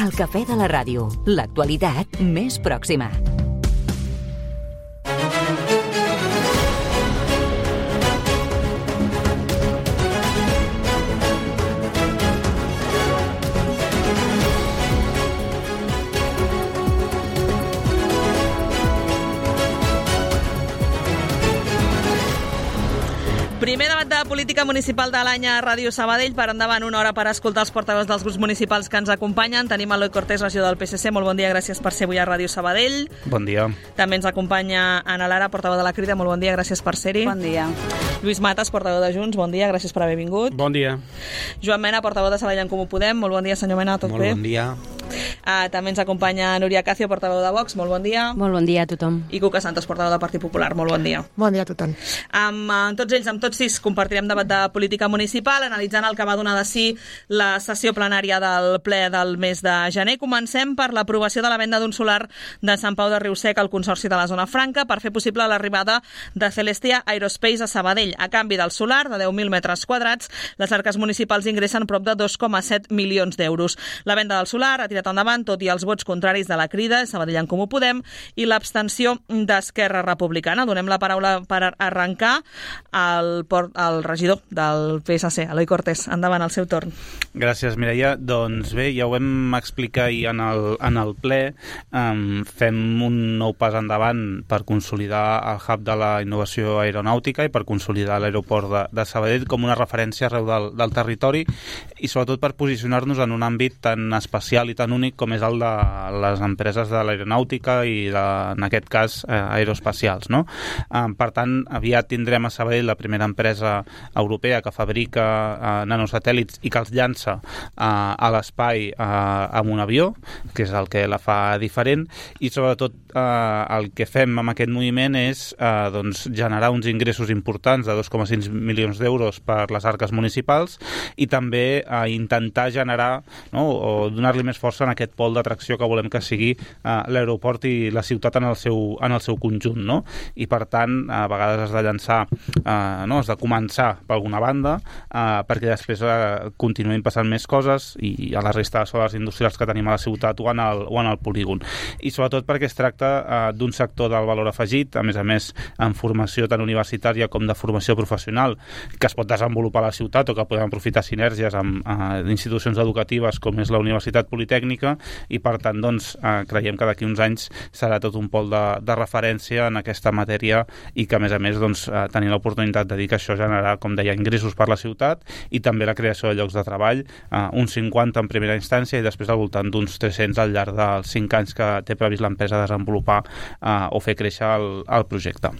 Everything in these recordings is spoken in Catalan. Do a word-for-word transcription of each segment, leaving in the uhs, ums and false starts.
El cafè de la ràdio, l'actualitat més pròxima. Primer debat de política municipal de l'any a Ràdio Sabadell. Per endavant, una hora per escoltar els portaveus dels grups municipals que ens acompanyen. Tenim Eloi Cortés, regidor del P S C. Molt bon dia, gràcies per ser avui a Ràdio Sabadell. Bon dia. També ens acompanya Ana Lara, portaveu de la Crida. Molt bon dia, gràcies per ser-hi. Bon dia. Lluís Matas, portaveu de Junts. Bon dia, gràcies per haver vingut. Bon dia. Joan Mena, portaveu de Sabadell en Comú Podem. Molt bon dia, senyor Mena, tot Molt bé? bon dia. Uh, també ens acompanya Núria Cacio, portaveu de Vox. Molt bon dia. Molt bon dia a tothom. I Cuca Santos, portaveu del Partit Popular. Molt bon dia. Bon dia a tothom. Amb, amb tots ells, amb tots sis, compartirem debat de política municipal, analitzant el que va donar de si la sessió plenària del ple del mes de gener. Comencem per l'aprovació de la venda d'un solar de Sant Pau de Riusec al Consorci de la Zona Franca per fer possible l'arribada de Celestia Aerospace a Sabadell. A canvi del solar, de deu mil metres quadrats, les arques municipals ingressen prop de dos coma set milions d'euros. La venda del solar ha tirat endavant, tot i els vots contraris de la Crida, Sabadell en Comú Podem, i l'abstenció d'Esquerra Republicana. Donem la paraula per arrencar al, al regidor del P S C, Eloi Cortés. Endavant, al seu torn. Gràcies, Mireia. Doncs bé, ja ho vam explicar ahir en el, en el ple. Um, fem un nou pas endavant per consolidar el hub de la innovació aeronàutica i per consolidar l'aeroport de, de Sabadell com una referència arreu del, del territori i sobretot per posicionar-nos en un àmbit tan especial i tan únic com és el de les empreses de l'aeronàutica i, de, en aquest cas, eh, aeroespacials. No? Um, per tant, aviat tindrem a Sabadell la primera empresa europea que fabrica uh, nanosatèl·lits i que els llança uh, a l'espai uh, amb un avió, que és el que la fa diferent, i sobretot uh, el que fem amb aquest moviment és uh, doncs, generar uns ingressos importants de dos coma cinc milions d'euros per les arques municipals i també uh, intentar generar, no, o donar-li més força en aquest pol d'atracció que volem que sigui uh, l'aeroport i la ciutat en el seu, en el seu conjunt. No? I per tant, a vegades has de llançar, uh, no, has de començar per alguna banda, uh, perquè després uh, continuïn passant més coses i a la resta de soles industrials que tenim a la ciutat o en el, o en el polígon. I sobretot perquè es tracta uh, d'un sector del valor afegit, a més a més en formació tant universitària com de formació professional, que es pot desenvolupar a la ciutat o que podem aprofitar sinergies amb uh, institucions educatives com és la Universitat Politècnica i per tant doncs, uh, creiem que d'aquí uns anys serà tot un pol de, de referència en aquesta matèria i que a més a més doncs, uh, tenir l'oportunitat de dir que això generarà, com deia, ingressos per la ciutat i també la creació de llocs de treball, uh, uns cinquanta en primera instància i després al voltant d'uns tres-cents al llarg dels cinc anys que té previst l'empresa desenvolupar uh, o fer créixer el, el projecte.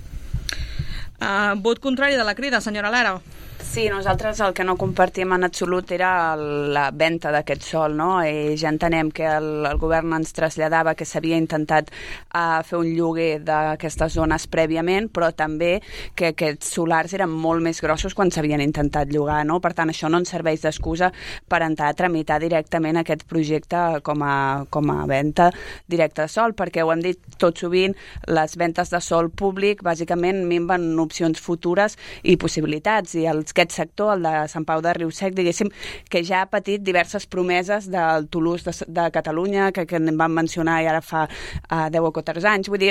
Uh, vot contrari de la Crida, senyora Lara. Sí, nosaltres el que no compartim en absolut era la venda d'aquest sòl, no? I ja entenem que el, el govern ens traslladava que s'havia intentat uh, fer un lloguer d'aquestes zones prèviament, però també que aquests solars eren molt més grossos quan s'havien intentat llogar, no? Per tant, això no ens serveix d'excusa per entrar a tramitar directament aquest projecte com a, com a venda directa de sòl, perquè ho hem dit tot sovint, les ventes de sòl públic bàsicament minven opcions futures i possibilitats, i els aquest sector, el de Sant Pau de Riusec, diguéssim, que ja ha patit diverses promeses del Toulouse de, de Catalunya, que, que en van mencionar i ara fa uh, deu o catorze anys. Vull dir,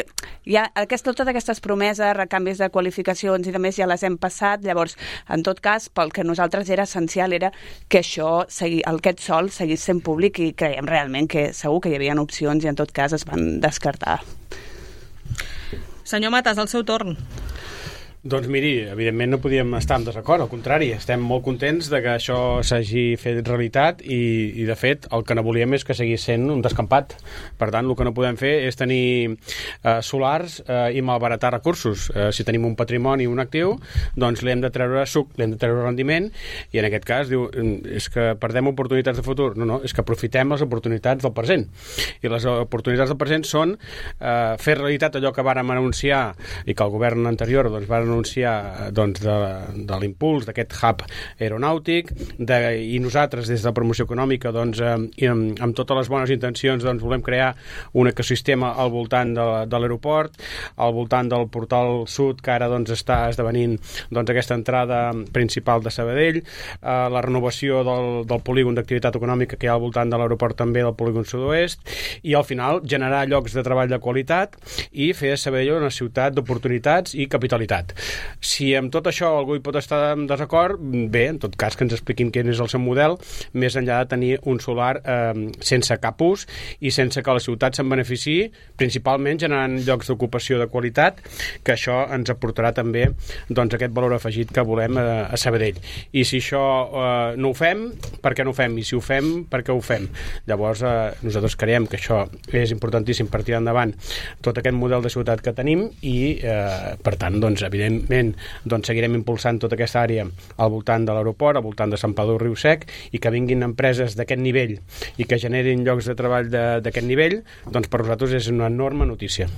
ja aquest, totes aquestes promeses, recanvis de qualificacions i de més ja les hem passat. Llavors, en tot cas, pel que nosaltres era essencial era que això, segui, aquest sòl seguís sent públic i creiem realment que segur que hi havia opcions i en tot cas es van descartar. Senyor Matas, al seu torn. Doncs miri, evidentment no podíem estar en desacord, al contrari, estem molt contents de que això s'hagi fet realitat i, i de fet el que no volíem és que seguís sent un descampat. Per tant, el que no podem fer és tenir eh, solars eh, i malbaratar recursos. Eh, si tenim un patrimoni, un actiu, doncs li hem de treure suc, li hem de treure rendiment i en aquest cas diu, és que perdem oportunitats de futur. No, no, és que aprofitem les oportunitats del present. I les oportunitats del present són eh, fer realitat allò que vàrem anunciar i que el govern anterior doncs, va anunciar anunciar doncs, de, de l'impuls d'aquest hub aeronàutic de, i nosaltres des de la promoció econòmica doncs, eh, amb, amb totes les bones intencions doncs, volem crear un ecosistema al voltant de, de l'aeroport, al voltant del portal sud que ara doncs, està esdevenint doncs, aquesta entrada principal de Sabadell, eh, la renovació del, del polígon d'activitat econòmica que hi ha al voltant de l'aeroport també del polígon sud-oest i al final generar llocs de treball de qualitat i fer de Sabadell una ciutat d'oportunitats i capitalitat. Si amb tot això algú hi pot estar en desacord, bé, en tot cas que ens expliquin quin és el seu model, més enllà de tenir un solar eh, sense cap ús i sense que la ciutat se'n beneficiï, principalment generant llocs d'ocupació de qualitat, que això ens aportarà també doncs, aquest valor afegit que volem a, a Sabadell. I si això eh, no ho fem, per què no ho fem? I si ho fem, per què ho fem? Llavors, eh, nosaltres creiem que això és importantíssim per tirar endavant tot aquest model de ciutat que tenim i, eh, per tant, doncs, evidentment, doncs, seguirem impulsant tota aquesta àrea al voltant de l'aeroport, al voltant de Sant Pau del Riu Sec, i que vinguin empreses d'aquest nivell i que generin llocs de treball d'aquest nivell, doncs per nosaltres és una enorme notícia.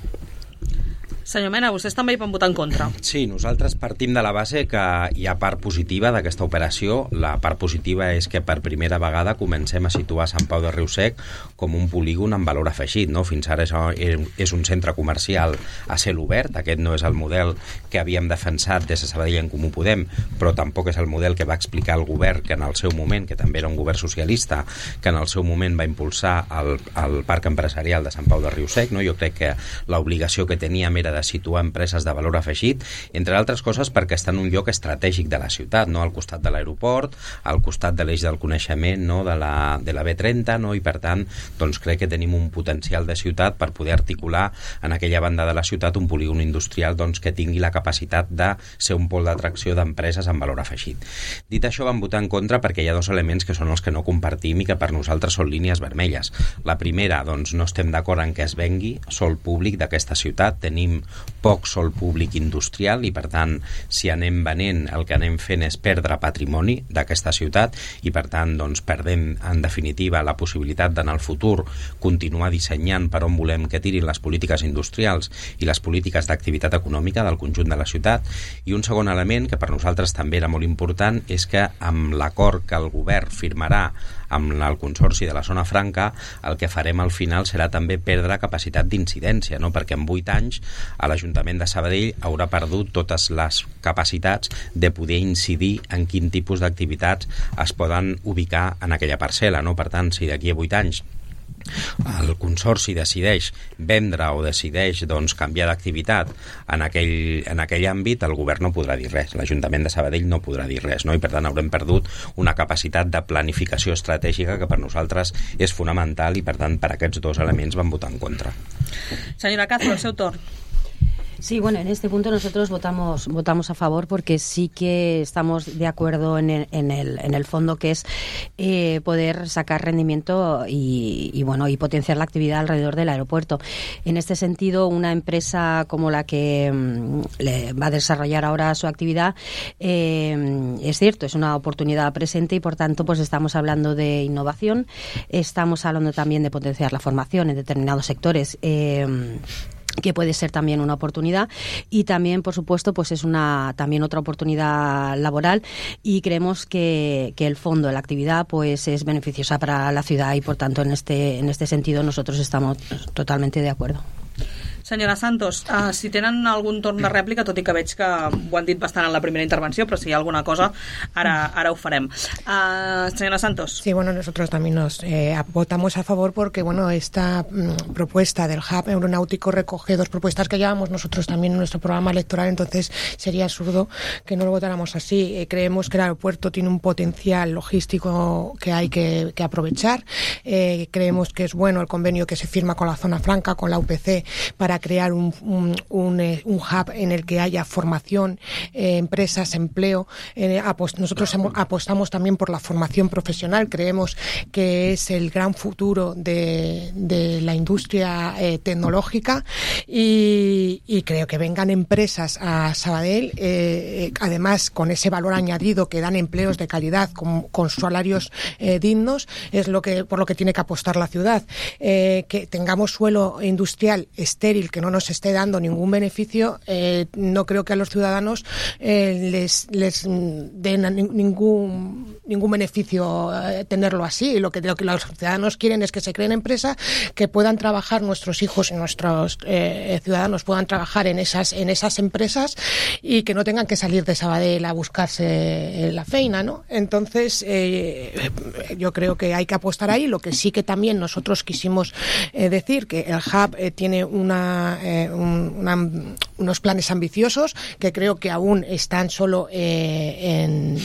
Senyor Mena, vostès també hi van votar en contra. Sí, nosaltres partim de la base que hi ha part positiva d'aquesta operació. La part positiva és que per primera vegada comencem a situar Sant Pau de Riu Sec com un polígon amb valor afegit, no? Fins ara és un centre comercial a cel obert. Aquest no és el model que havíem defensat des de Sabadell en Comú Podem, però tampoc és el model que va explicar el govern que en el seu moment, que també era un govern socialista, que en el seu moment va impulsar el, el parc empresarial de Sant Pau de Riu Sec, no? Jo crec que l'obligació que teníem era de situar empreses de valor afegit, entre altres coses perquè està en un lloc estratègic de la ciutat, no? Al costat de l'aeroport, al costat de l'eix del coneixement, no? de, la, de la B trenta, no? I per tant doncs crec que tenim un potencial de ciutat per poder articular en aquella banda de la ciutat un polígon industrial doncs, que tingui la capacitat de ser un pol d'atracció d'empreses amb valor afegit. Dit això, vam votar en contra perquè hi ha dos elements que són els que no compartim i que per nosaltres són línies vermelles. La primera, doncs no estem d'acord en que es vengui sòl públic d'aquesta ciutat. Tenim poc sòl públic industrial i per tant si anem venent el que anem fent és perdre patrimoni d'aquesta ciutat i per tant doncs perdem en definitiva la possibilitat d'anar al futur continuar dissenyant per on volem que tirin les polítiques industrials i les polítiques d'activitat econòmica del conjunt de la ciutat. I un segon element que per nosaltres també era molt important és que amb l'acord que el govern firmarà amb el Consorci de la Zona Franca el que farem al final serà també perdre capacitat d'incidència, no? Perquè en vuit anys a l'Ajuntament de Sabadell haurà perdut totes les capacitats de poder incidir en quin tipus d'activitats es poden ubicar en aquella parcel·la, no? Per tant, si d'aquí a vuit anys el Consorci decideix vendre o decideix doncs, canviar d'activitat en aquell, en aquell àmbit, el govern no podrà dir res, l'Ajuntament de Sabadell no podrà dir res, no? I per tant haurem perdut una capacitat de planificació estratègica que per nosaltres és fonamental i per tant per aquests dos elements vam votar en contra. Senyora Castro, el seu torn. Sí, bueno, en este punto nosotros votamos votamos a favor porque sí que estamos de acuerdo en el, en el, en el fondo que es eh, poder sacar rendimiento y, y bueno y potenciar la actividad alrededor del aeropuerto. En este sentido, una empresa como la que mmm, le va a desarrollar ahora su actividad eh, es cierto, es una oportunidad presente y por tanto pues estamos hablando de innovación, estamos hablando también de potenciar la formación en determinados sectores. Eh, que puede ser también una oportunidad y también, por supuesto, pues es una también otra oportunidad laboral y creemos que, que el fondo, la actividad, pues es beneficiosa para la ciudad y, por tanto, en este en este sentido nosotros estamos totalmente de acuerdo. Senyora Santos, uh, si tenen algun torn de rèplica, tot i que veig que ho han dit bastant en la primera intervenció, però si hi ha alguna cosa, ara, ara ho farem. Uh, senyora Santos. Sí, bueno, nosotros también nos eh, votamos a favor porque, bueno, esta mm, propuesta del hub aeronáutico recoge dos propuestas que llevamos nosotros también en nuestro programa electoral, entonces sería absurdo que no lo votáramos así. Eh, creemos que el aeropuerto tiene un potencial logístico que hay que, que aprovechar. Eh, creemos que es bueno el convenio que se firma con la Zona Franca, con la U P C, para crear un, un, un, eh, un hub en el que haya formación, eh, empresas, empleo. Eh, apost- nosotros hemos, apostamos también por la formación profesional. Creemos que es el gran futuro de, de la industria eh, tecnológica y, y creo que vengan empresas a Sabadell, eh, además con ese valor añadido que dan empleos de calidad con, con salarios eh, dignos, es lo que por lo que tiene que apostar la ciudad. Eh, que tengamos suelo industrial estéril el que no nos esté dando ningún beneficio, eh, no creo que a los ciudadanos eh, les, les den ningún, ningún beneficio eh, tenerlo así. Lo que, lo que los ciudadanos quieren es que se creen empresas, que puedan trabajar nuestros hijos y nuestros eh, ciudadanos puedan trabajar en esas, en esas empresas y que no tengan que salir de Sabadell a buscarse la feina, ¿no? Entonces, eh, yo creo que hay que apostar ahí. Lo que sí que también nosotros quisimos eh, decir que el Hub eh, tiene una, eh, un, una, unos planes ambiciosos que creo que aún están solo eh, en,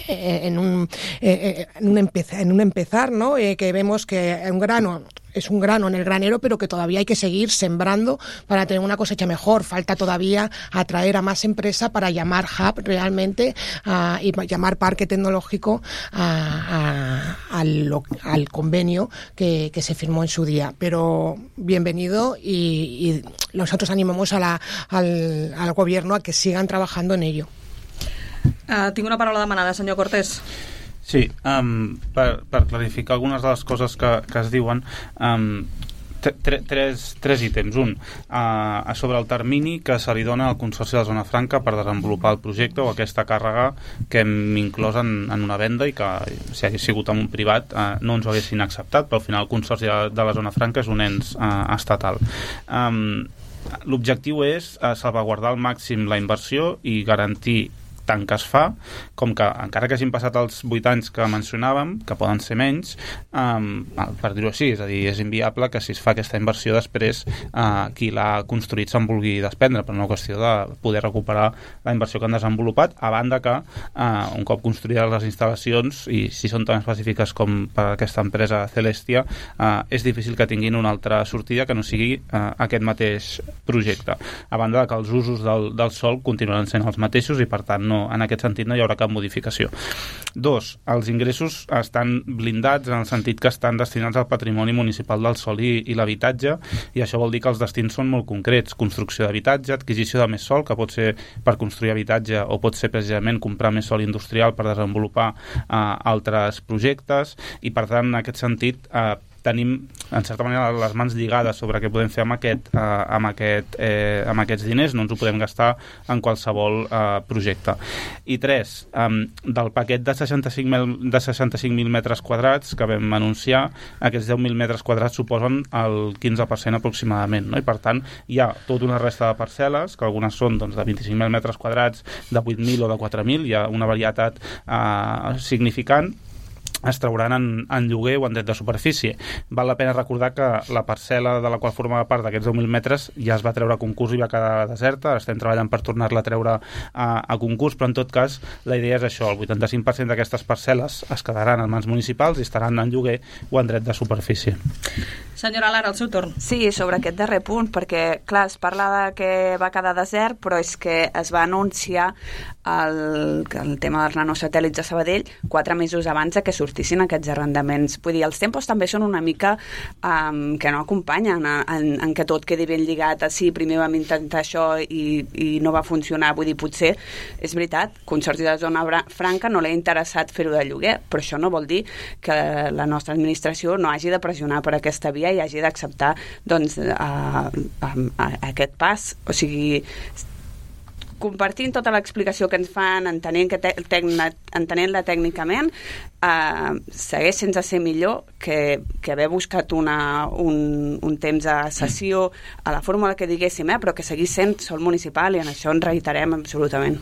en, un, eh, en, un empezar, en un empezar, ¿no? Eh, que vemos que un grano es un grano en el granero, pero que todavía hay que seguir sembrando para tener una cosecha mejor. Falta todavía atraer a más empresa para llamar hub realmente uh, y llamar parque tecnológico a, a, al, al convenio que, que se firmó en su día. Pero bienvenido y, y nosotros animamos a la, al, al gobierno a que sigan trabajando en ello. Uh, tinc una paraula demanada, senyor Cortés. Sí, um, per, per clarificar algunes de les coses que, que es diuen, um, tre, tres, tres ítems. Un, uh, sobre el termini que se li dona al Consorci de la Zona Franca per desenvolupar el projecte o aquesta càrrega que hem inclòs en, en una venda i que, si hagués sigut en un privat, uh, no ens ho haguessin acceptat, però al final el Consorci de, de la Zona Franca és un ens uh, estatal. Um, L'objectiu és uh, salvaguardar al màxim la inversió i garantir tant que es fa, com que encara que hagin passat els vuit anys que mencionàvem, que poden ser menys, um, per dir-ho així, és a dir, és inviable que si es fa aquesta inversió després uh, qui l'ha construït se'n vulgui desprendre, per una qüestió de poder recuperar la inversió que han desenvolupat, a banda que uh, un cop construïdes les instal·lacions, i si són tan específiques com per aquesta empresa Celestia, uh, és difícil que tinguin una altra sortida que no sigui uh, aquest mateix projecte, a banda de que els usos del, del sòl continuaran sent els mateixos i per tant no No, en aquest sentit no hi haurà cap modificació. Dos, els ingressos estan blindats en el sentit que estan destinats al patrimoni municipal del sòl i, i l'habitatge, i això vol dir que els destins són molt concrets: construcció d'habitatge, adquisició de més sòl, que pot ser per construir habitatge o pot ser precisament comprar més sòl industrial per desenvolupar eh, altres projectes, i per tant en aquest sentit eh, tenim, en certa manera, les mans lligades sobre què podem fer amb, aquest, eh, amb, aquest, eh, amb aquests diners. No ens ho podem gastar en qualsevol eh, projecte. I tres, eh, del paquet de seixanta-cinc mil metres quadrats que vam anunciar, aquests deu mil metres quadrats suposen el quinze per cent aproximadament, no? I per tant hi ha tota una resta de parcel·les, que algunes són doncs, de vint-i-cinc mil metres quadrats, de vuit mil o de quatre mil, hi ha una varietat eh, significant, es trauran en, en lloguer o en dret de superfície. Val la pena recordar que la parcel·la de la qual formava part d'aquests deu mil metres ja es va treure a concurs i va quedar deserta. Estem treballant per tornar-la a treure a, a concurs, però en tot cas la idea és això: el vuitanta-cinc per cent d'aquestes parcel·les es quedaran en mans municipals i estaran en lloguer o en dret de superfície. Senyora Lara, el seu torn. Sí, sobre aquest darrer punt, perquè clar, es parla de que va quedar desert, però és que es va anunciar el, el tema dels nanosatèl·lits de Sabadell quatre mesos abans de que sortissin aquests arrendaments. Vull dir, els tempos també són una mica um, que no acompanyen en, en que tot quedi ben lligat. Sí, primer vam intentar això i, i no va funcionar. Vull dir, potser, és veritat, Consorci de la Zona Franca no l'ha interessat fer-ho de lloguer, però això no vol dir que la nostra administració no hagi de pressionar per aquesta via i hagi d'acceptar doncs, a, a, a aquest pas. O sigui, compartint tota l'explicació que ens fan, entenent que te, entenent-la tècnicament, eh, segueix sense ser millor que, que haver buscat una, un, un temps de sessió a la fórmula que diguéssim, eh, però que seguís sent sol municipal, i en això ens reiterem absolutament.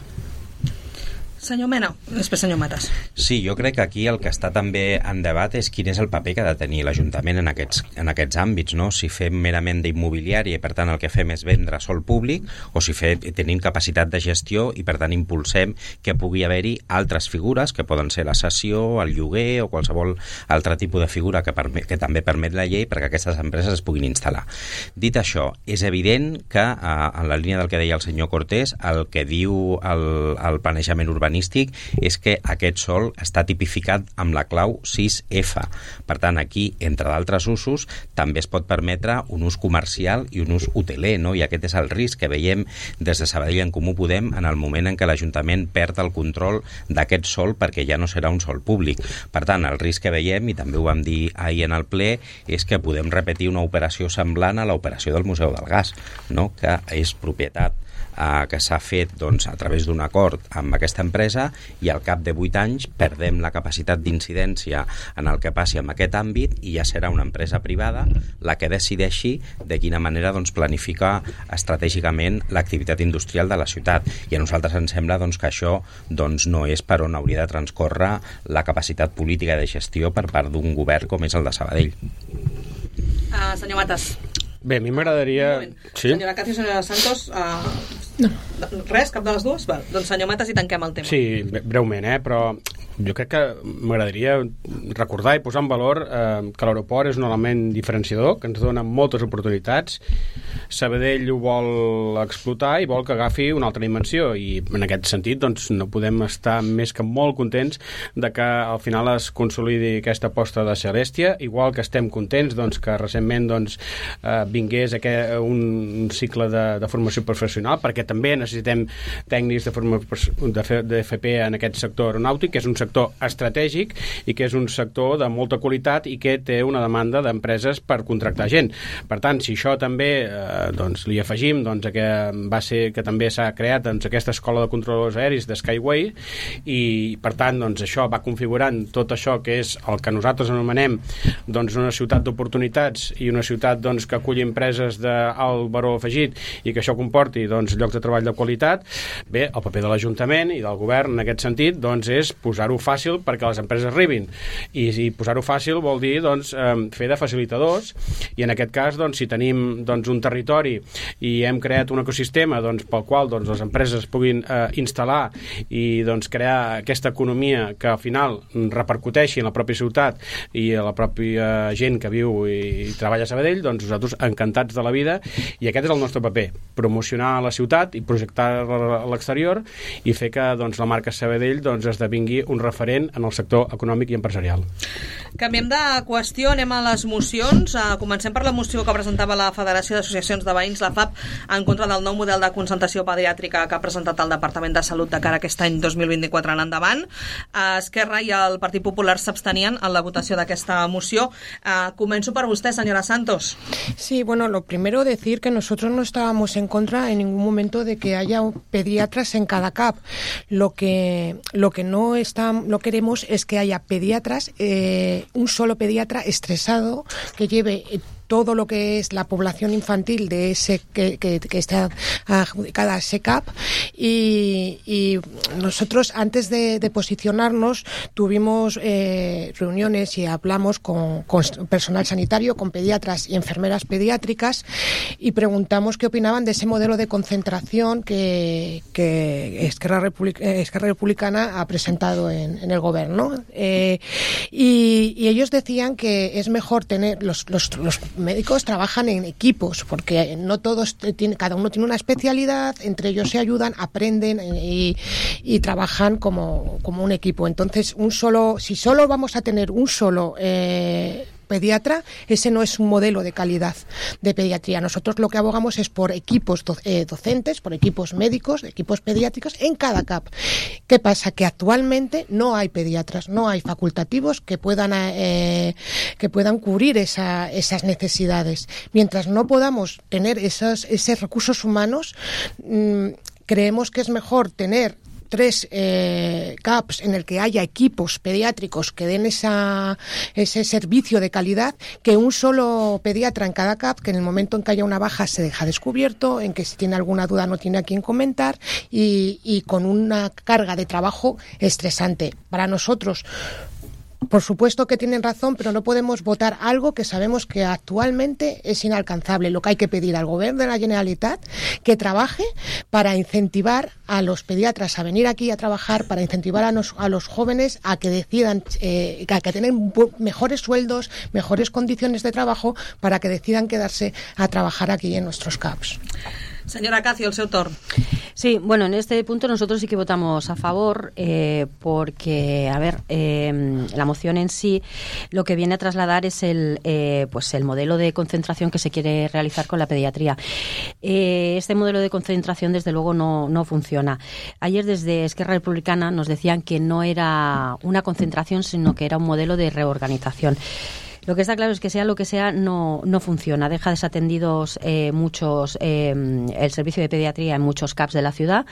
Senyor Mena, després senyor Matas. Sí, jo crec que aquí el que està també en debat és quin és el paper que ha de tenir l'Ajuntament en aquests, en aquests àmbits, no? Si fem merament d'immobiliària i per tant el que fem és vendre sol públic, o si fe, tenim capacitat de gestió i per tant impulsem que pugui haver-hi altres figures que poden ser la cessió, el lloguer o qualsevol altre tipus de figura que, permet, que també permet la llei perquè aquestes empreses es puguin instal·lar. Dit això, és evident que, en la línia del que deia el senyor Cortés, el que diu el, el planejament urbanístic urbanístic és que aquest sòl està tipificat amb la clau sis efa. Per tant, aquí, entre d'altres usos, també es pot permetre un ús comercial i un ús hoteler, no? I aquest és el risc que veiem des de Sabadell en Comú Podem en el moment en què l'Ajuntament perd el control d'aquest sòl perquè ja no serà un sòl públic. Per tant, el risc que veiem, i també ho vam dir ahir en el ple, és que podem repetir una operació semblant a l'operació del Museu del Gas, no? Que és propietat eh, que s'ha fet doncs, a través d'un acord amb aquesta empresa i al cap de vuit anys perdem la capacitat d'incidència en el que passi en aquest àmbit i ja serà una empresa privada la que decideixi de quina manera doncs, planificar estratègicament l'activitat industrial de la ciutat. I a nosaltres ens sembla doncs, que això doncs, no és per on hauria de transcórrer la capacitat política de gestió per part d'un govern com és el de Sabadell. Uh, senyor Matas. Bé, a mi m'agradaria... Sí? Senyora Cati i senyora Santos, uh, no. res, cap de les dues? Val. Doncs senyor Matas i tanquem el tema. Sí, breument, eh? Però jo crec que m'agradaria recordar i posar en valor eh, que l'aeroport és un element diferenciador, que ens dona moltes oportunitats. Sabadell ho vol explotar i vol que agafi una altra dimensió i en aquest sentit doncs, no podem estar més que molt contents de que al final es consolidi aquesta aposta de Celestia, igual que estem contents doncs, que recentment doncs, eh, vingués aquest, un cicle de, de formació professional, perquè també necessitem tècnics de, forma, de, de F P en aquest sector aeronàutic, que és un sector estratègic i que és un sector de molta qualitat i que té una demanda d'empreses per contractar gent. Per tant, si això també eh, doncs, li afegim doncs, que va ser que també s'ha creat doncs, aquesta escola de controladors aeris de Skyway i per tant doncs, això va configurant tot això que és el que nosaltres anomenem doncs, una ciutat d'oportunitats i una ciutat doncs, que aculli empreses d'alt valor afegit i que això comporti doncs, llocs de treball de qualitat, bé, el paper de l'Ajuntament i del govern en aquest sentit doncs, és posar-ho fàcil perquè les empreses arribin i, i posar-ho fàcil vol dir doncs, eh, fer de facilitadors i en aquest cas doncs, si tenim doncs, un territori i hem creat un ecosistema doncs, pel qual doncs, les empreses puguin eh, instal·lar i doncs, crear aquesta economia que al final repercuteixi en la pròpia ciutat i a la pròpia gent que viu i, i treballa a Sabadell, doncs nosaltres encantats de la vida i aquest és el nostre paper, promocionar la ciutat i projectar-la a l'exterior i fer que doncs, la marca Sabadell doncs, esdevingui un referent en el sector econòmic i empresarial. Canviem de qüestió, anem a les mocions. Uh, comencem per la moció que presentava la Federació d'Associacions de Veïns, la F A P, en contra del nou model de concentració pediàtrica que ha presentat el Departament de Salut de cara a aquest any dos mil vint-i-quatre en endavant. Uh, Esquerra i el Partit Popular s'abstenien en la votació d'aquesta moció. Uh, començo per vostè, senyora Santos. Sí, bueno, lo primero decir que nosotros no estábamos en contra en ningún momento de que haya pediatras en cada C A P. Lo que, lo que no está, lo queremos es que haya pediatras, eh, un solo pediatra estresado que lleve todo lo que es la población infantil de ese que, que, que está adjudicada a ese C A P y, y nosotros antes de, de posicionarnos tuvimos eh, reuniones y hablamos con, con personal sanitario, con pediatras y enfermeras pediátricas y preguntamos qué opinaban de ese modelo de concentración que, que Esquerra, Republic, Esquerra Republicana ha presentado en, en el gobierno eh, y, y ellos decían que es mejor tener los, los, los médicos trabajan en equipos porque no todos tienen, cada uno tiene una especialidad, entre ellos se ayudan, aprenden y, y trabajan como, como un equipo. Entonces, un solo, si solo vamos a tener un solo eh, pediatra, ese no es un modelo de calidad de pediatría. Nosotros lo que abogamos es por equipos do, eh, docentes, por equipos médicos, equipos pediátricos en cada C A P. ¿Qué pasa? Que actualmente no hay pediatras, no hay facultativos que puedan eh, que puedan cubrir esa, esas necesidades. Mientras no podamos tener esos, esos recursos humanos, mmm, creemos que es mejor tener tres eh, C A Ps en el que haya equipos pediátricos que den esa, ese servicio de calidad que un solo pediatra en cada C A P, que en el momento en que haya una baja se deja descubierto, en que si tiene alguna duda no tiene a quién comentar y, y con una carga de trabajo estresante. Para nosotros, por supuesto que tienen razón, pero no podemos votar algo que sabemos que actualmente es inalcanzable. Lo que hay que pedir al Gobierno de la Generalitat que trabaje para incentivar a los pediatras a venir aquí a trabajar, para incentivar a, nos, a los jóvenes a que decidan, eh, a que tengan mejores sueldos, mejores condiciones de trabajo, para que decidan quedarse a trabajar aquí en nuestros C A Ps. Señora Cacio, el seu torn. Sí, bueno, en este punto nosotros sí que votamos a favor eh, porque, a ver, eh, la moción en sí lo que viene a trasladar es el, eh, pues el modelo de concentración que se quiere realizar con la pediatría. Eh, este modelo de concentración, desde luego, no, no funciona. Ayer desde Esquerra Republicana nos decían que no era una concentración, sino que era un modelo de reorganización. Lo que está claro es que sea lo que sea, no, no funciona. Deja desatendidos eh, muchos eh, el servicio de pediatría en muchos C A Ps de la ciudad,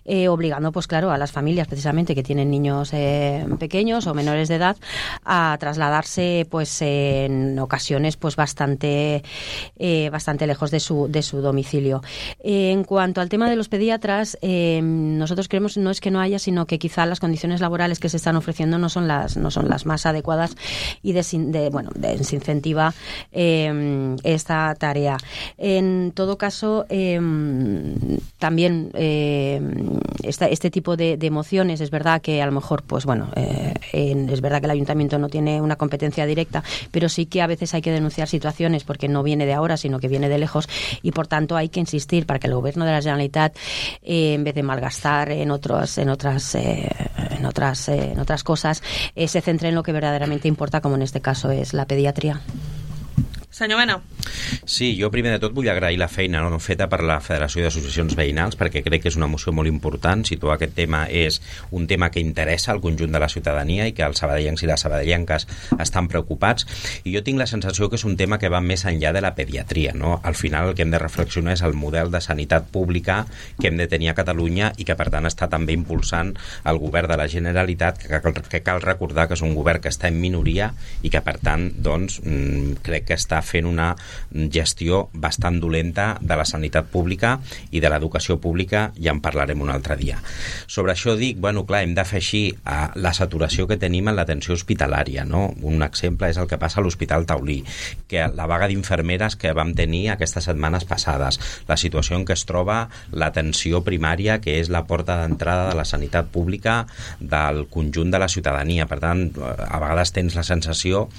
eh, obligando, pues claro, a las familias precisamente que tienen niños eh, pequeños o menores de edad a trasladarse, pues en ocasiones, pues bastante, eh, bastante lejos de su, de su domicilio. Eh, en cuanto al tema de los pediatras, eh, nosotros creemos no es que no haya, sino que quizá las condiciones laborales que se están ofreciendo no son las, no son las más adecuadas y de, de bueno, desincentiva eh, esta tarea. En todo caso, eh, también eh, esta, este tipo de, de mociones, es verdad que a lo mejor, pues bueno, eh, en, es verdad que el ayuntamiento no tiene una competencia directa, pero sí que a veces hay que denunciar situaciones porque no viene de ahora, sino que viene de lejos, y por tanto hay que insistir para que el gobierno de la Generalitat, eh, en vez de malgastar en otros, en otras, eh, en otras, eh, en otras cosas, eh, se centre en lo que verdaderamente importa, como en este caso es la pediatria. Senyor Mena. Sí, jo primer de tot vull agrair la feina no, feta per la Federació d'Associacions Veïnals, perquè crec que és una moció molt important. Situar aquest tema és un tema que interessa al conjunt de la ciutadania i que els sabadellencs i les sabadellenques estan preocupats, i jo tinc la sensació que és un tema que va més enllà de la pediatria, no? Al final el que hem de reflexionar és el model de sanitat pública que hem de tenir a Catalunya i que per tant està també impulsant el govern de la Generalitat, que cal, que cal recordar que és un govern que està en minoria i que per tant doncs, crec que està fent una gestió bastant dolenta de la sanitat pública i de l'educació pública, ja en parlarem un altre dia. Sobre això dic, bueno, clar, hem de fer així a la saturació que tenim en l'atenció hospitalària, no? Un exemple és el que passa a l'Hospital Taulí, que la vaga d'infermeres que vam tenir aquestes setmanes passades, la situació en què es troba l'atenció primària, que és la porta d'entrada de la sanitat pública del conjunt de la ciutadania. Per tant, a vegades tens la sensació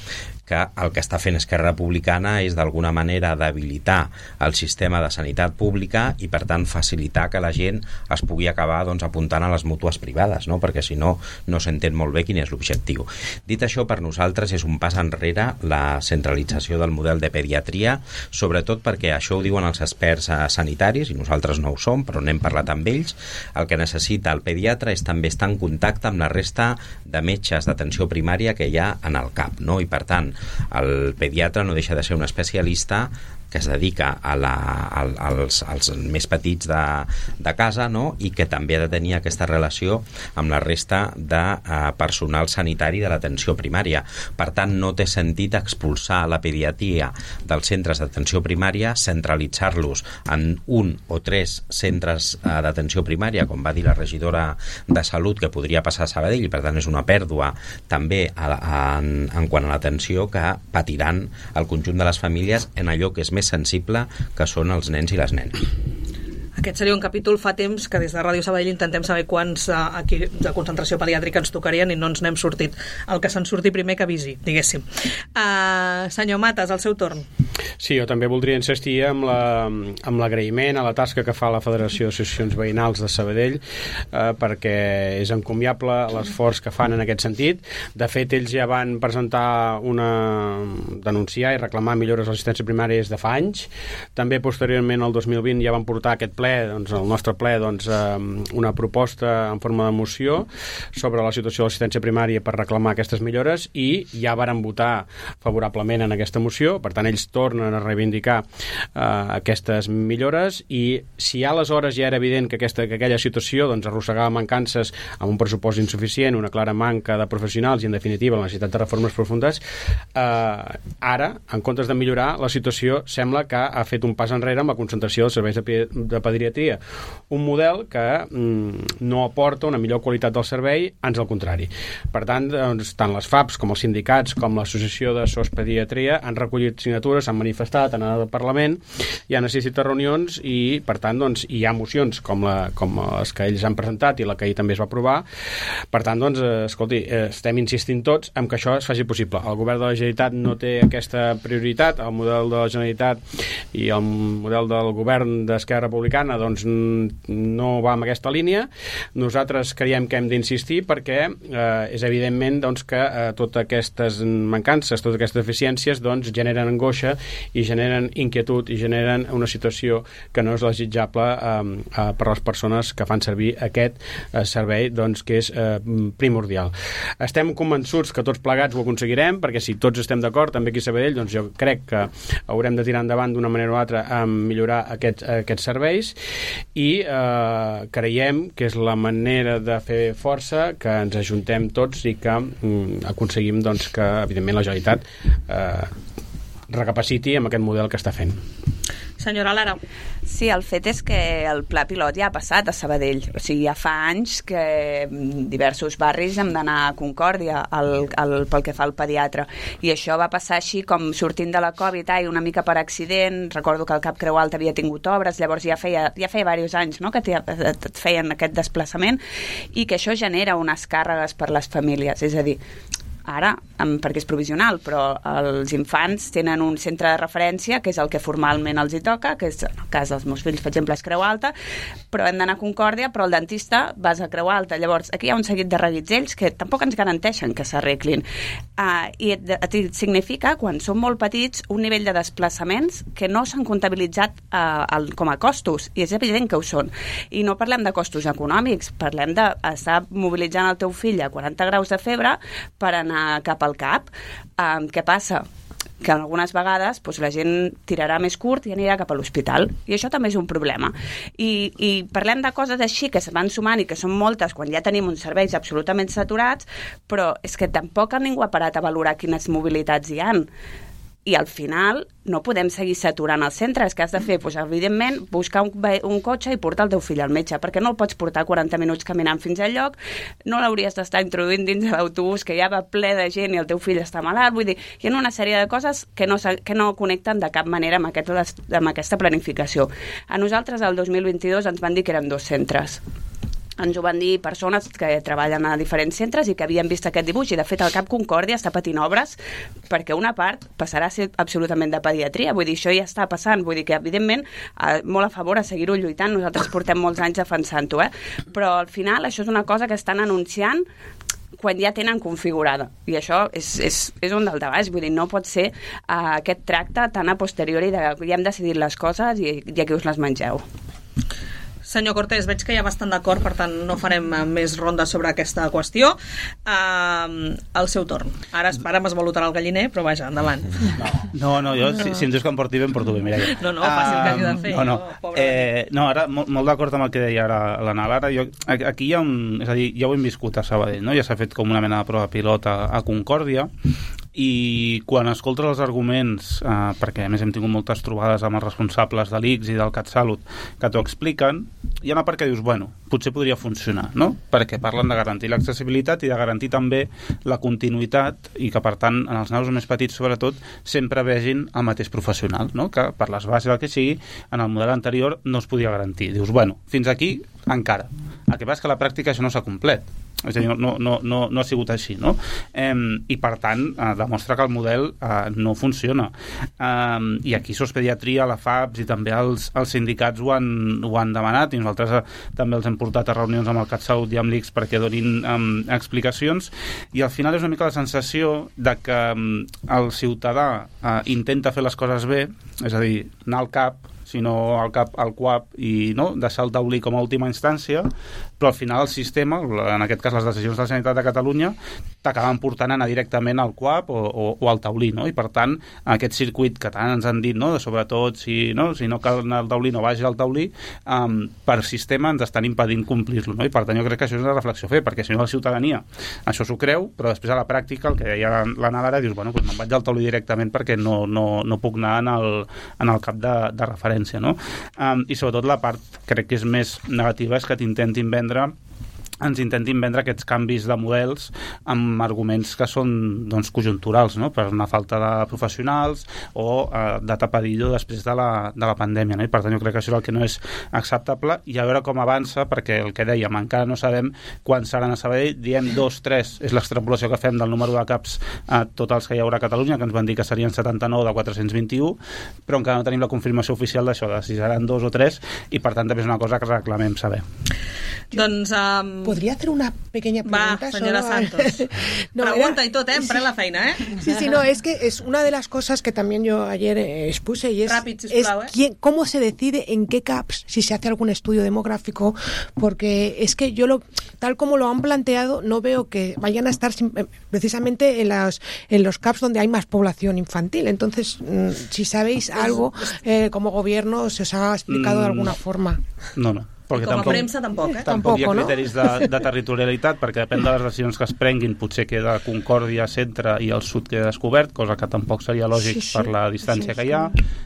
que el que està fent Esquerra Republicana és d'alguna manera debilitar el sistema de sanitat pública i per tant facilitar que la gent es pugui acabar doncs, apuntant a les mútues privades, no? Perquè si no, no s'entén molt bé quin és l'objectiu. Dit això, per nosaltres és un pas enrere la centralització del model de pediatria, sobretot perquè això ho diuen els experts sanitaris i nosaltres no ho som, però n'hem parlat amb ells. El que necessita el pediatre és també estar en contacte amb la resta de metges d'atenció primària que hi ha en el C A P, no? I per tant el pediatre no deixa de ser un especialista que es dedica a la, a, als, als més petits de, de casa, no? I que també ha de tenir aquesta relació amb la resta de uh, personal sanitari de l'atenció primària. Per tant, no té sentit expulsar la pediatria dels centres d'atenció primària, centralitzar-los en un o tres centres uh, d'atenció primària, com va dir la regidora de Salut, que podria passar a Sabadell, i per tant és una pèrdua també a, a, en, en quant a l'atenció que patiran el conjunt de les famílies en allò que és més sensible, que són els nens i les nenes. Aquest seria un capítol fa temps que des de Ràdio Sabadell intentem saber quants uh, aquí de concentració pediàtrica ens tocarien i no ens n'hem sortit. El que se'n surti primer que avisi, diguéssim. Uh, senyor Matas, el seu torn. Sí, jo també voldria insistir amb la, amb l'agraïment a la tasca que fa la Federació d'Associacions Veïnals de Sabadell, eh, perquè és encomiable l'esforç que fan en aquest sentit. De fet, ells ja van presentar una... denunciar i reclamar millores a l'assistència primària des de fa anys. També posteriorment, el dos mil vint, ja van portar aquest ple, doncs, el nostre ple, doncs, eh, una proposta en forma de moció sobre la situació de l'assistència primària per reclamar aquestes millores, i ja varen votar favorablement en aquesta moció. Per tant, ells tornen a reivindicar eh, aquestes millores, i si aleshores ja era evident que, aquesta, que aquella situació doncs, arrossegava mancances amb un pressupost insuficient, una clara manca de professionals i, en definitiva, la necessitat de reformes profundes, eh, ara, en comptes de millorar, la situació sembla que ha fet un pas enrere amb la concentració dels serveis de, de pediatria. Un model que mm, no aporta una millor qualitat del servei, ans al contrari. Per tant, doncs, tant les F A Ps com els sindicats com l'Associació de S O S Pediatria han recollit signatures, han manifestat manifestat en el Parlament, ja necessita reunions i, per tant, doncs, hi ha mocions com, la, com les que ells han presentat i la que ahir també es va aprovar. Per tant, doncs, eh, escolti, eh, estem insistint tots en que això es faci possible. El govern de la Generalitat no té aquesta prioritat, el model de la Generalitat i el model del govern d'Esquerra Republicana doncs, no va en aquesta línia. Nosaltres creiem que hem d'insistir perquè eh, és evidentment doncs, que eh, totes aquestes mancances, totes aquestes deficiències doncs, generen angoixa i generen inquietud i generen una situació que no és desitjable eh, eh, per a les persones que fan servir aquest eh, servei doncs, que és eh, primordial. Estem convençuts que tots plegats ho aconseguirem, perquè si tots estem d'acord, també aquí a Sabadell, doncs jo crec que haurem de tirar endavant d'una manera o altra a millorar aquests, aquests serveis i eh, creiem que és la manera de fer força, que ens ajuntem tots i que mm, aconseguim doncs, que, evidentment, la Generalitat eh, recapaciti amb aquest model que està fent. Senyora Lara. Sí, el fet és que el pla pilot ja ha passat a Sabadell. O sigui, ja fa anys que diversos barris hem d'anar a Concòrdia el, el, pel que fa al pediatre. I això va passar així com sortint de la Covid, ai, una mica per accident. Recordo que el Cap Creu Alta havia tingut obres, llavors ja feia, ja feia diversos anys no?, que et feien aquest desplaçament i que això genera unes càrregues per les famílies. És a dir, ara, perquè és provisional, però els infants tenen un centre de referència que és el que formalment els hi toca, que és, en el cas dels meus fills, per exemple, és Creu Alta, però hem d'anar a Concòrdia, però el dentista vas a Creu Alta. Llavors, aquí hi ha un seguit de reguitzells que tampoc ens garanteixen que s'arreglin. Uh, I et, et significa, quan som molt petits, un nivell de desplaçaments que no s'han comptabilitzat uh, el, com a costos, i és evident que ho són. I no parlem de costos econòmics, parlem d'estar mobilitzant el teu fill a quaranta graus de febre per anar cap al cap. Um, què passa? Que algunes vegades doncs, la gent tirarà més curt i anirà cap a l'hospital. I això també és un problema. I, i parlem de coses així que se van sumant i que són moltes quan ja tenim uns serveis absolutament saturats, però és que tampoc ningú ha parat a valorar quines mobilitats hi han. I al final no podem seguir saturant els centres. Que has de fer? Doncs, evidentment, buscar un, un cotxe i portar el teu fill al metge, perquè no el pots portar quaranta minuts caminant fins al lloc, no l'hauries d'estar introduint dins de l'autobús que ja va ple de gent i el teu fill està malalt. Vull dir, hi ha una sèrie de coses que no, que no connecten de cap manera amb, aquest, amb aquesta planificació. A nosaltres, el dos mil vint-i-dos, ens van dir que eren dos centres. Ens ho van dir persones que treballen a diferents centres i que havien vist aquest dibuix, i de fet el Cap Concòrdia està patint obres perquè una part passarà a ser absolutament de pediatria. Vull dir, això ja està passant, vull dir que evidentment molt a favor a seguir-ho lluitant, nosaltres portem molts anys defensant-ho, eh? Però al final això és una cosa que estan anunciant quan ja tenen configurada, i això és, és, és un daltabaix. Vull dir, no pot ser uh, aquest tracte tan a posteriori de que ja hem decidit les coses i, i aquí us les mengeu. Senyor Cortés, veig que hi ha bastant d'acord, per tant no farem més rondes sobre aquesta qüestió. Uh, el seu torn. Ara, ara m'esvalotarà el galliner, però vaja, endavant. No, no, jo, no. Si, si em dius que em porti bé, em porto bé, mira. No, no, faci el que hagi de fer. No, no, no, eh, no ara, molt, molt d'acord amb el que deia ara l'Anna Lara. Jo, aquí hi ha un... És a dir, ja ho hem viscut a Sabadell, no? Ja s'ha fet com una mena de prova pilot a, a Concòrdia, i quan escoltes els arguments, eh, perquè a més hem tingut moltes trobades amb els responsables de l'I C S i del CatSalut que t'ho expliquen, hi ha una part que dius, bueno, potser podria funcionar, no? Perquè parlen de garantir l'accessibilitat i de garantir també la continuïtat, i que per tant en els nanos més petits sobretot sempre vegin el mateix professional, no? Que per les bases del que sigui en el model anterior no es podia garantir. Dius, bueno, fins aquí encara. El que passa és que a la pràctica això no s'ha complet. És a dir, no, no, no, no ha sigut així, no? Eh, I per tant eh, demostra que el model eh, no funciona. Eh, I aquí Sospediatria, la F A P S i també els, els sindicats ho han, ho han demanat, i nosaltres eh, també els hem portat a reunions amb el CatSalut i amb l'I C S perquè donin eh, explicacions, i al final és una mica la sensació de que eh, el ciutadà eh, intenta fer les coses bé, és a dir, anar al CAP, sinó al cap al C U A P, i no, deixar el taulí com a última instància, però al final el sistema, en aquest cas les decisions de la Generalitat de Catalunya, t'acaben portant a anar directament al C U A P o, o, o al taulí, no? I per tant, aquest circuit que tant ens han dit, no? Sobretot si no, si no cal anar al taulí, no vagi al taulí, um, per sistema ens estan impedint complir-lo, no? I per tant jo crec que això és una reflexió a fer, perquè si no la ciutadania això s'ho creu, però després a la pràctica el que deia l'Anna Lara, dius, bueno, doncs me'n vaig al taulí directament perquè no, no, no puc anar en el, en el cap de, de referència, no? Um, i sobretot la part, crec que és més negativa, és que t'intentin vendre ens intentin vendre aquests canvis de models amb arguments que són doncs, conjunturals, no? Per una falta de professionals o eh, de tapadillo després de la, de la pandèmia, no? I per tant jo crec que això és el que no és acceptable, i a veure com avança, perquè el que dèiem, encara no sabem quan seran a Sabadell, diem dos, tres, és l'extrapolació que fem del número de caps a tots els que hi haurà a Catalunya, que ens van dir que serien setanta-nou de quatre-cents vint-i-u, però encara no tenim la confirmació oficial d'això, de si seran dos o tres, i per tant també és una cosa que reclamem saber. Doncs... Um... ¿Podría hacer una pequeña pregunta? Va, señora solo... Santos. no, Pregunta era... y todo, ¿eh? Emprende la feina, ¿eh? Sí, sí, no, es que es una de las cosas que también yo ayer eh, expuse y es, Rápido, es sisplau, ¿eh? quién, cómo se decide en qué caps, si se hace algún estudio demográfico, porque es que yo, lo tal como lo han planteado, no veo que vayan a estar precisamente en, las, en los caps donde hay más población infantil. Entonces, mmm, si sabéis algo, eh, como gobierno, se os ha explicado de alguna forma. No, no. Perquè com a tampoc, premsa tampoc, eh? Tampoc, tampoc hi ha no? criteris de, de territorialitat, perquè depèn de les decisions que es prenguin, potser queda Concòrdia centre i el sud queda descobert, cosa que tampoc seria lògic sí, sí. per la distància sí, que hi ha.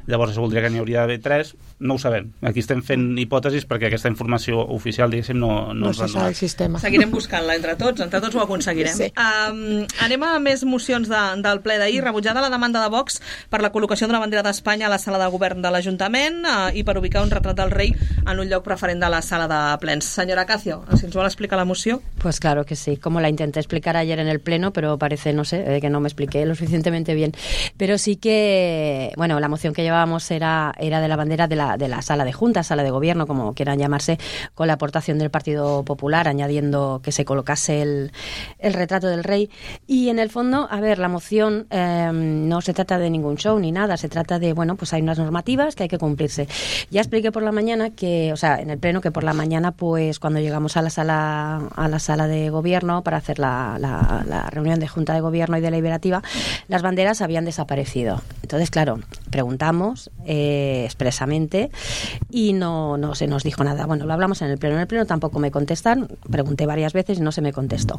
Llavors es voldria que n'hi hauria d'haver tres, no ho sabem. Aquí estem fent hipòtesis perquè aquesta informació oficial, diguéssim, no, no, no se sabe el sistema. Seguirem buscant-la entre tots, entre tots ho aconseguirem. Sí. Um, anem a més mocions de, del ple d'ahir. Rebutjada la demanda de Vox per la col·locació d'una bandera d'Espanya a la sala de govern de l'Ajuntament uh, i per ubicar un retrat del rei en un lloc preferent de la sala de ple. Señora Cacio, si nos va a explicar la moción. Pues claro que sí, como la intenté explicar ayer en el pleno, pero parece, no sé, que no me expliqué lo suficientemente bien. Pero sí que, bueno, la moción que llevábamos era, era de la bandera de la, de la sala de junta, sala de gobierno, como quieran llamarse, con la aportación del Partido Popular, añadiendo que se colocase el, el retrato del rey. Y en el fondo, a ver, la moción eh, no se trata de ningún show ni nada, se trata de, bueno, pues hay unas normativas que hay que cumplirse. Ya expliqué por la mañana que, o sea, en el pleno que por la mañana pues cuando llegamos a la sala a la sala de gobierno para hacer la, la, la reunión de Junta de Gobierno y deliberativa, las banderas habían desaparecido. Entonces, claro, preguntamos eh, expresamente y no, no se nos dijo nada. Bueno, lo hablamos en el pleno. En el pleno tampoco me contestan. Pregunté varias veces y no se me contestó.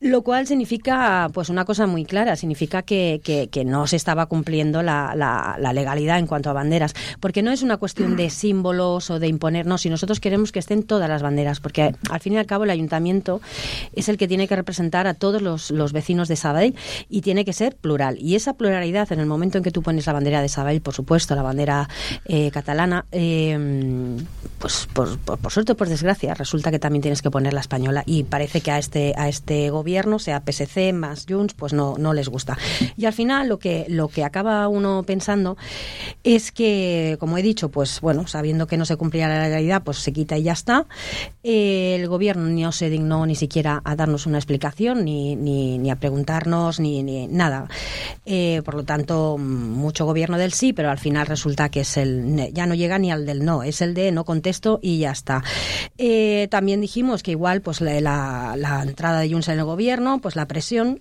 Lo cual significa, pues una cosa muy clara, significa que, que, que no se estaba cumpliendo la, la, la legalidad en cuanto a banderas, porque no es una cuestión de símbolos o de imponernos, si nosotros queremos que estén todas las banderas, porque al fin y al cabo el ayuntamiento es el que tiene que representar a todos los, los vecinos de Sabadell y tiene que ser plural, y esa pluralidad en el momento en que tú pones la bandera de Sabadell, por supuesto, la bandera eh, catalana, eh, pues por, por, por suerte o por desgracia, resulta que también tienes que poner la española, y parece que a este, a este gobierno sea P S C más Junts, pues no, no les gusta. Y al final lo que, lo que acaba uno pensando es que, como he dicho, pues bueno, sabiendo que no se cumplía la legalidad, pues se quita y ya está. Eh, el gobierno no se dignó ni siquiera a darnos una explicación, ni, ni, ni a preguntarnos, ni, ni nada. Eh, por lo tanto, mucho gobierno del sí, pero al final resulta que es el, ya no llega ni al del no, es el de no contesto y ya está. Eh, también dijimos que igual pues la, la, la entrada de Junts en el gobierno, pues la presión,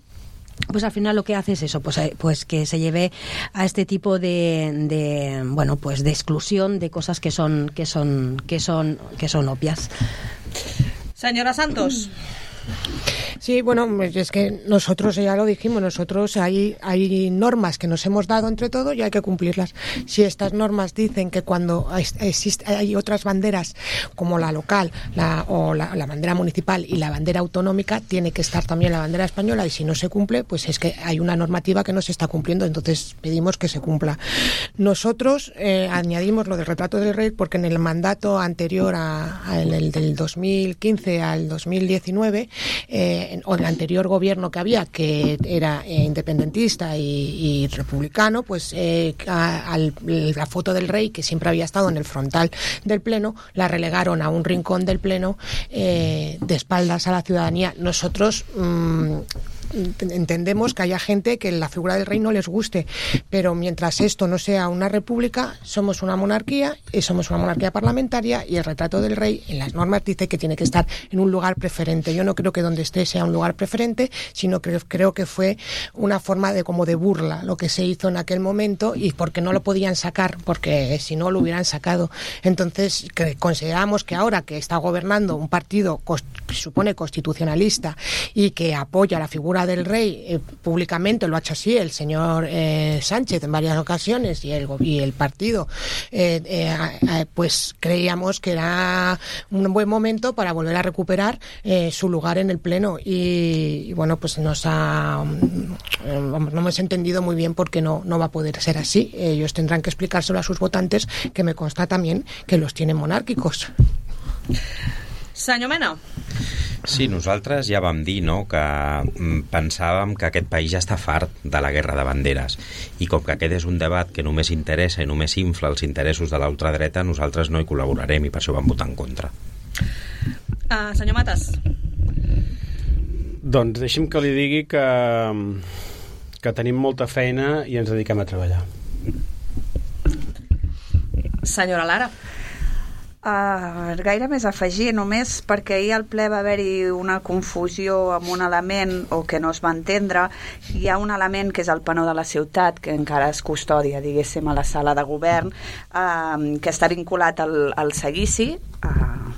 pues al final lo que hace es eso, pues, pues que se lleve a este tipo de, de bueno, pues de exclusión de cosas que son que son que son que son obvias. Señora Santos. Sí, bueno, es que nosotros ya lo dijimos, nosotros hay, hay normas que nos hemos dado entre todos y hay que cumplirlas. Si estas normas dicen que cuando existe, hay otras banderas como la local la, o la, la bandera municipal y la bandera autonómica, tiene que estar también la bandera española, y si no se cumple, pues es que hay una normativa que no se está cumpliendo, entonces pedimos que se cumpla. Nosotros eh, añadimos lo del retrato del rey porque en el mandato anterior a, a el, el del dos mil quince al dos mil diecinueve, eh, o el anterior gobierno que había, que era eh, independentista y, y republicano, pues eh, a, a la foto del rey, que siempre había estado en el frontal del pleno, la relegaron a un rincón del pleno eh, de espaldas a la ciudadanía. Nosotros mmm, entendemos que haya gente que la figura del rey no les guste, pero mientras esto no sea una república, somos una monarquía y somos una monarquía parlamentaria, y el retrato del rey en las normas dice que tiene que estar en un lugar preferente. Yo no creo que donde esté sea un lugar preferente, sino que creo que fue una forma de como de burla lo que se hizo en aquel momento, y porque no lo podían sacar, porque si no lo hubieran sacado. Entonces que consideramos que ahora que está gobernando un partido que supone constitucionalista y que apoya la figura Comunidad del Rey, eh, públicamente lo ha hecho así el señor eh, Sánchez en varias ocasiones y el, y el partido, eh, eh, eh, pues creíamos que era un buen momento para volver a recuperar eh, su lugar en el Pleno y, y bueno, pues nos ha, eh, vamos, no hemos entendido muy bien por qué no, no va a poder ser así. Ellos tendrán que explicárselo a sus votantes, que me consta también que los tienen monárquicos. Senyor Mena. Sí, nosaltres ja vam dir, no?, que mm, pensàvem que aquest país ja està fart de la guerra de banderes i com que aquest és un debat que només interessa i només infla els interessos de l'ultradreta, nosaltres no hi col·laborarem i per això vam votar en contra. Uh, senyor Matas. Doncs deixi'm que li digui que, que tenim molta feina i ens dediquem a treballar. Senyora Lara. Uh, gaire més a afegir, només perquè ahir al ple va haver-hi una confusió amb un element o que no es va entendre. Hi ha un element que és el penó de la ciutat, que encara es custodia, diguéssim, a la sala de govern, uh, que està vinculat al, al seguici, uh,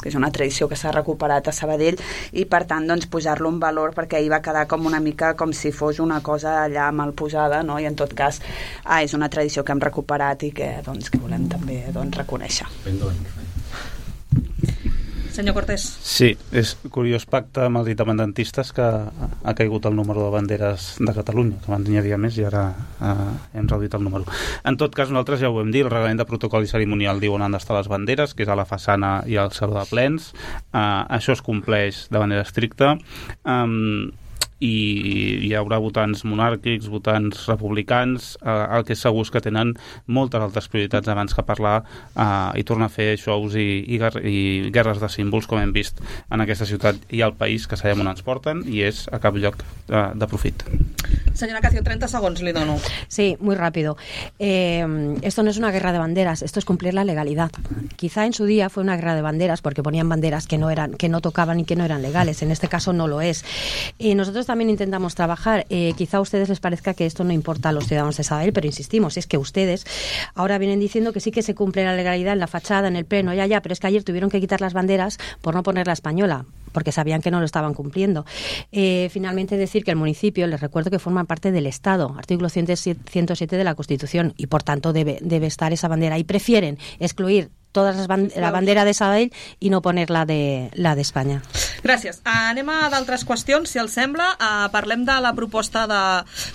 que és una tradició que s'ha recuperat a Sabadell, i per tant doncs, posar-lo en valor, perquè ahir va quedar com una mica com si fos una cosa allà mal posada, no? I en tot cas ah, és una tradició que hem recuperat i que, doncs, que volem també doncs, reconèixer. Senyor Cortés. Sí, és curiós pacte amb els independentistes que ha caigut el número de banderes de Catalunya, que abans n'hi havia més i ara eh, hem reduït el número. En tot cas, nosaltres ja ho hem dit, el reglament de protocol i cerimonial diu on han d'estar les banderes, que és a la façana i al saló de plens. Eh, això es compleix de manera estricta. Um, i hi haurà votants monàrquics, votants republicans, eh, el que és segur és que tenen moltes altres prioritats abans que parlar eh, i tornar a fer shows i, i, i guerres de símbols, com hem vist en aquesta ciutat i al país, que sabem on ens porten, i és a cap lloc eh, de profit. Señora Cacio, treinta segundos le dono. Sí, muy rápido. Eh, esto no es una guerra de banderas, esto es cumplir la legalidad. Quizá en su día fue una guerra de banderas porque ponían banderas que no eran, que no tocaban y que no eran legales. En este caso no lo es. Y nosotros también intentamos trabajar. Eh, quizá a ustedes les parezca que esto no importa a los ciudadanos de Sabadell, pero insistimos, es que ustedes ahora vienen diciendo que sí que se cumple la legalidad en la fachada, en el pleno, ya, ya, pero es que ayer tuvieron que quitar las banderas por no poner la española, porque sabían que no lo estaban cumpliendo. Eh, finalmente decir que el municipio, les recuerdo que forma parte del Estado, artículo ciento siete de la Constitución, y por tanto debe, debe estar esa bandera, y prefieren excluir todas les band la bandera de Sabadell i no poner-la de, la d'Espanya. Gràcies. Uh, anem a d'altres qüestions, si els sembla. Uh, parlem de la proposta de,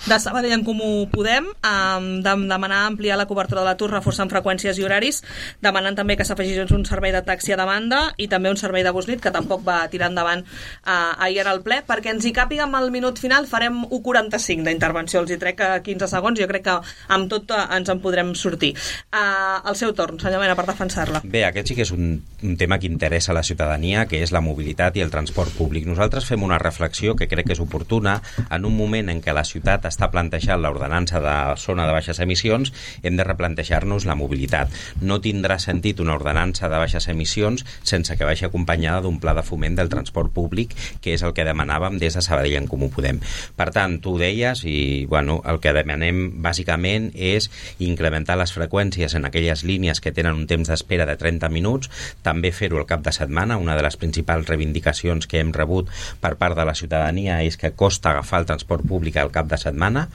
de Sabadell en Comú Podem, um, de demanar ampliar la cobertura de l'atur, reforçant freqüències i horaris, demanant també que s'afegís un servei de taxi a demanda i també un servei de bus nit, que tampoc va tirar endavant uh, ahir al ple. Perquè ens hi càpiga amb el minut final, farem u quaranta-cinc d'intervenció. Els hi trec a quinze segons, jo crec que amb tot uh, ens en podrem sortir. Uh, el seu torn, senyor Mena, per defensar. Bé, aquest sí que és un, un tema que interessa a la ciutadania, que és la mobilitat i el transport públic. Nosaltres fem una reflexió que crec que és oportuna en un moment en què la ciutat està plantejant l'ordenança de zona de baixes emissions, hem de replantejar-nos la mobilitat. No tindrà sentit una ordenança de baixes emissions sense que vagi acompanyada d'un pla de foment del transport públic, que és el que demanàvem des de Sabadell en Comú Podem. Per tant, tu ho deies i bueno, el que demanem bàsicament és incrementar les freqüències en aquelles línies que tenen un temps d'espera de trenta minuts, també fer-ho al cap de setmana. Una de les principals reivindicacions que hem rebut per part de la ciutadania és que costa agafar el transport públic al cap de setmana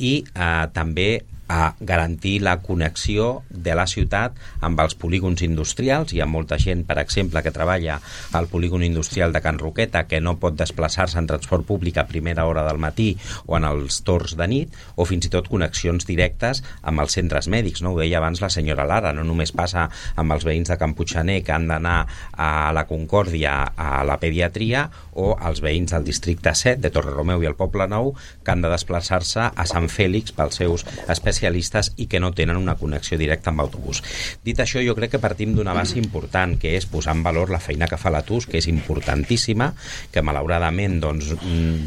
i eh, també a garantir la connexió de la ciutat amb els polígons industrials. Hi ha molta gent, per exemple, que treballa al polígon industrial de Can Roqueta que no pot desplaçar-se en transport públic a primera hora del matí o en els torns de nit, o fins i tot connexions directes amb els centres mèdics, no? Ho deia abans la senyora Lara, no només passa amb els veïns de Can Puigxaner que han d'anar a la Concòrdia a la pediatria, o els veïns del districte set de Torreromeu i el Poble Nou que han de desplaçar-se a Sant Fèlix pels seus especialistes i que no tenen una connexió directa amb autobús. Dit això, jo crec que partim d'una base important, que és posar en valor la feina que fa l'A T U S, que és importantíssima, que malauradament doncs,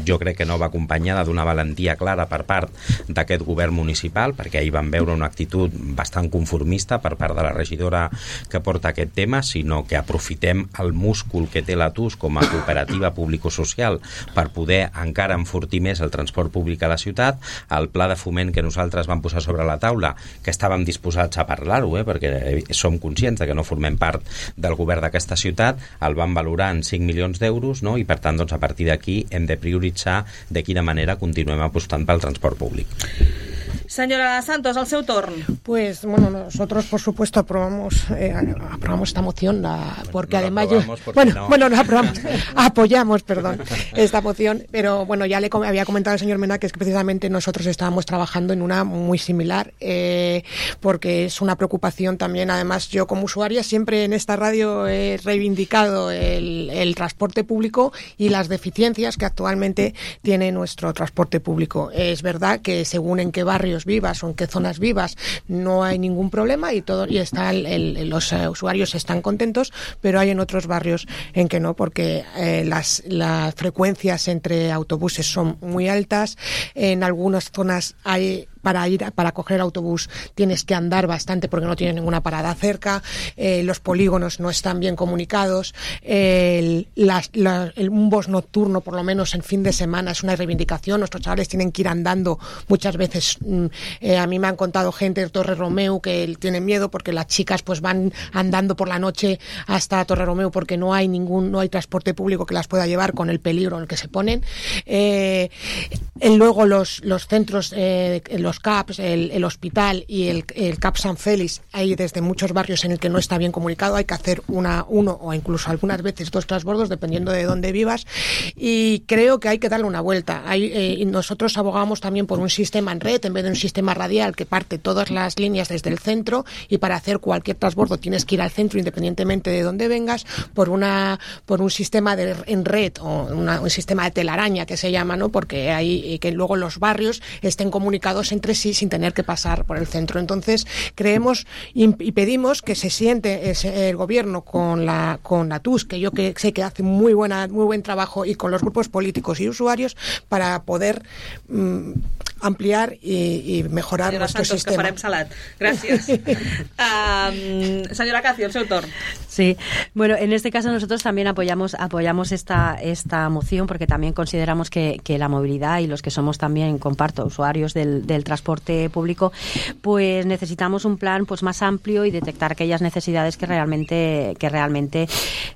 jo crec que no va acompanyada d'una valentia clara per part d'aquest govern municipal, perquè ahir vam veure una actitud bastant conformista per part de la regidora que porta aquest tema, sinó que aprofitem el múscul que té l'A T U S com a cooperativa público-social per poder encara enfortir més el transport públic a la ciutat. El pla de foment que nosaltres vam posar posar sobre la taula, que estàvem disposats a parlar-ho, eh, perquè som conscients de que no formem part del govern d'aquesta ciutat, el van valorar en cinc milions d'euros, no? I per tant, doncs, a partir d'aquí hem de prioritzar de quina manera continuem apostant pel transport públic. Señora Santos, al seu torn. Pues bueno, nosotros por supuesto aprobamos eh, aprobamos esta moción la, porque no además la yo, porque bueno, no. bueno, no aprobamos, apoyamos, perdón, esta moción, pero bueno, ya le com- había comentado al señor Mena que es que precisamente nosotros estábamos trabajando en una muy similar, eh, porque es una preocupación también. Además, yo como usuaria siempre en esta radio he reivindicado el, el transporte público y las deficiencias que actualmente tiene nuestro transporte público. Es verdad que según en qué barrios vivas o en qué zonas vivas no hay ningún problema y todo y está el, el, los uh, usuarios están contentos, pero hay en otros barrios en que no, porque eh, las, las frecuencias entre autobuses son muy altas. En algunas zonas hay para ir para coger autobús tienes que andar bastante porque no tiene ninguna parada cerca, eh, los polígonos no están bien comunicados, el, las, la, el, un bus nocturno por lo menos en fin de semana es una reivindicación. Nuestros chavales tienen que ir andando muchas veces. Eh, a mí me han contado gente de Torre Romeu que tienen miedo porque las chicas pues van andando por la noche hasta Torre Romeu porque no hay ningún no hay transporte público que las pueda llevar con el peligro en el que se ponen. Eh, luego los, los centros, eh, los C A Ps, el, el hospital y el, el C A P San Félix, hay desde muchos barrios en el que no está bien comunicado, hay que hacer una uno o incluso algunas veces dos transbordos dependiendo de dónde vivas, y creo que hay que darle una vuelta. Hay, eh, y nosotros abogamos también por un sistema en red en vez de un sistema radial que parte todas las líneas desde el centro, y para hacer cualquier transbordo tienes que ir al centro independientemente de dónde vengas, por una por un sistema de, en red o una, un sistema de telaraña que se llama, ¿no? Porque hay que luego los barrios estén comunicados entre sí sin tener que pasar por el centro. Entonces creemos y, y pedimos que se siente ese, el gobierno con la con la T U S, que yo que sé que hace muy buena muy buen trabajo, y con los grupos políticos y usuarios para poder mm, ampliar y, y mejorar senyora nuestro Santos, sistema. que farem salat. Gràcies. um, senyora Cati, el seu torn. Sí, bueno, en este caso nosotros también apoyamos apoyamos esta esta moción porque también consideramos que, que la movilidad y los que somos también, comparto, usuarios del, del transporte público, pues necesitamos un plan pues más amplio y detectar aquellas necesidades que realmente que realmente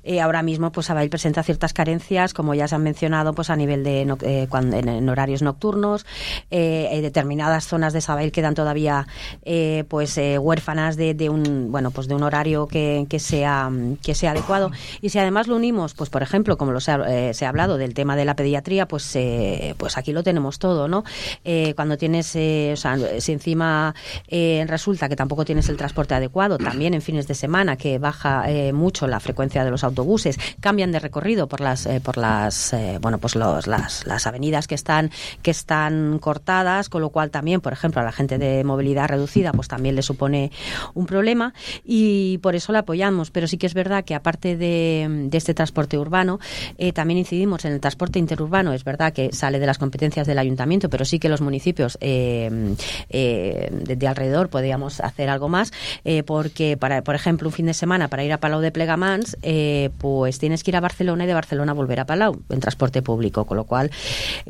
eh, ahora mismo pues Sabadell presenta ciertas carencias, como ya se han mencionado, pues a nivel de no, eh, cuando, en, en horarios nocturnos, eh, eh, determinadas zonas de Sabadell quedan todavía eh, pues eh, huérfanas de, de un bueno pues de un horario que, que sea que sea adecuado. Y si además lo unimos, pues por ejemplo, como lo se ha, eh, se ha hablado del tema de la pediatría, pues eh, pues aquí lo tenemos todo, ¿no? Eh, cuando tienes, eh, o sea, si encima eh, resulta que tampoco tienes el transporte adecuado, también en fines de semana que baja eh, mucho la frecuencia de los autobuses, cambian de recorrido por las eh, por las eh, bueno pues los, las las avenidas que están que están cortadas, con lo cual también, por ejemplo, a la gente de movilidad reducida, pues también le supone un problema, y por eso la apoyamos. Pero sí que es verdad que aparte de, de este transporte urbano, eh, también incidimos en el transporte interurbano. Es verdad que sale de las competencias del ayuntamiento, pero sí que los municipios eh, eh, de, de alrededor podríamos hacer algo más, eh, porque, para, por ejemplo, un fin de semana para ir a Palau de Plegamans, eh, pues tienes que ir a Barcelona y de Barcelona volver a Palau en transporte público, con lo cual,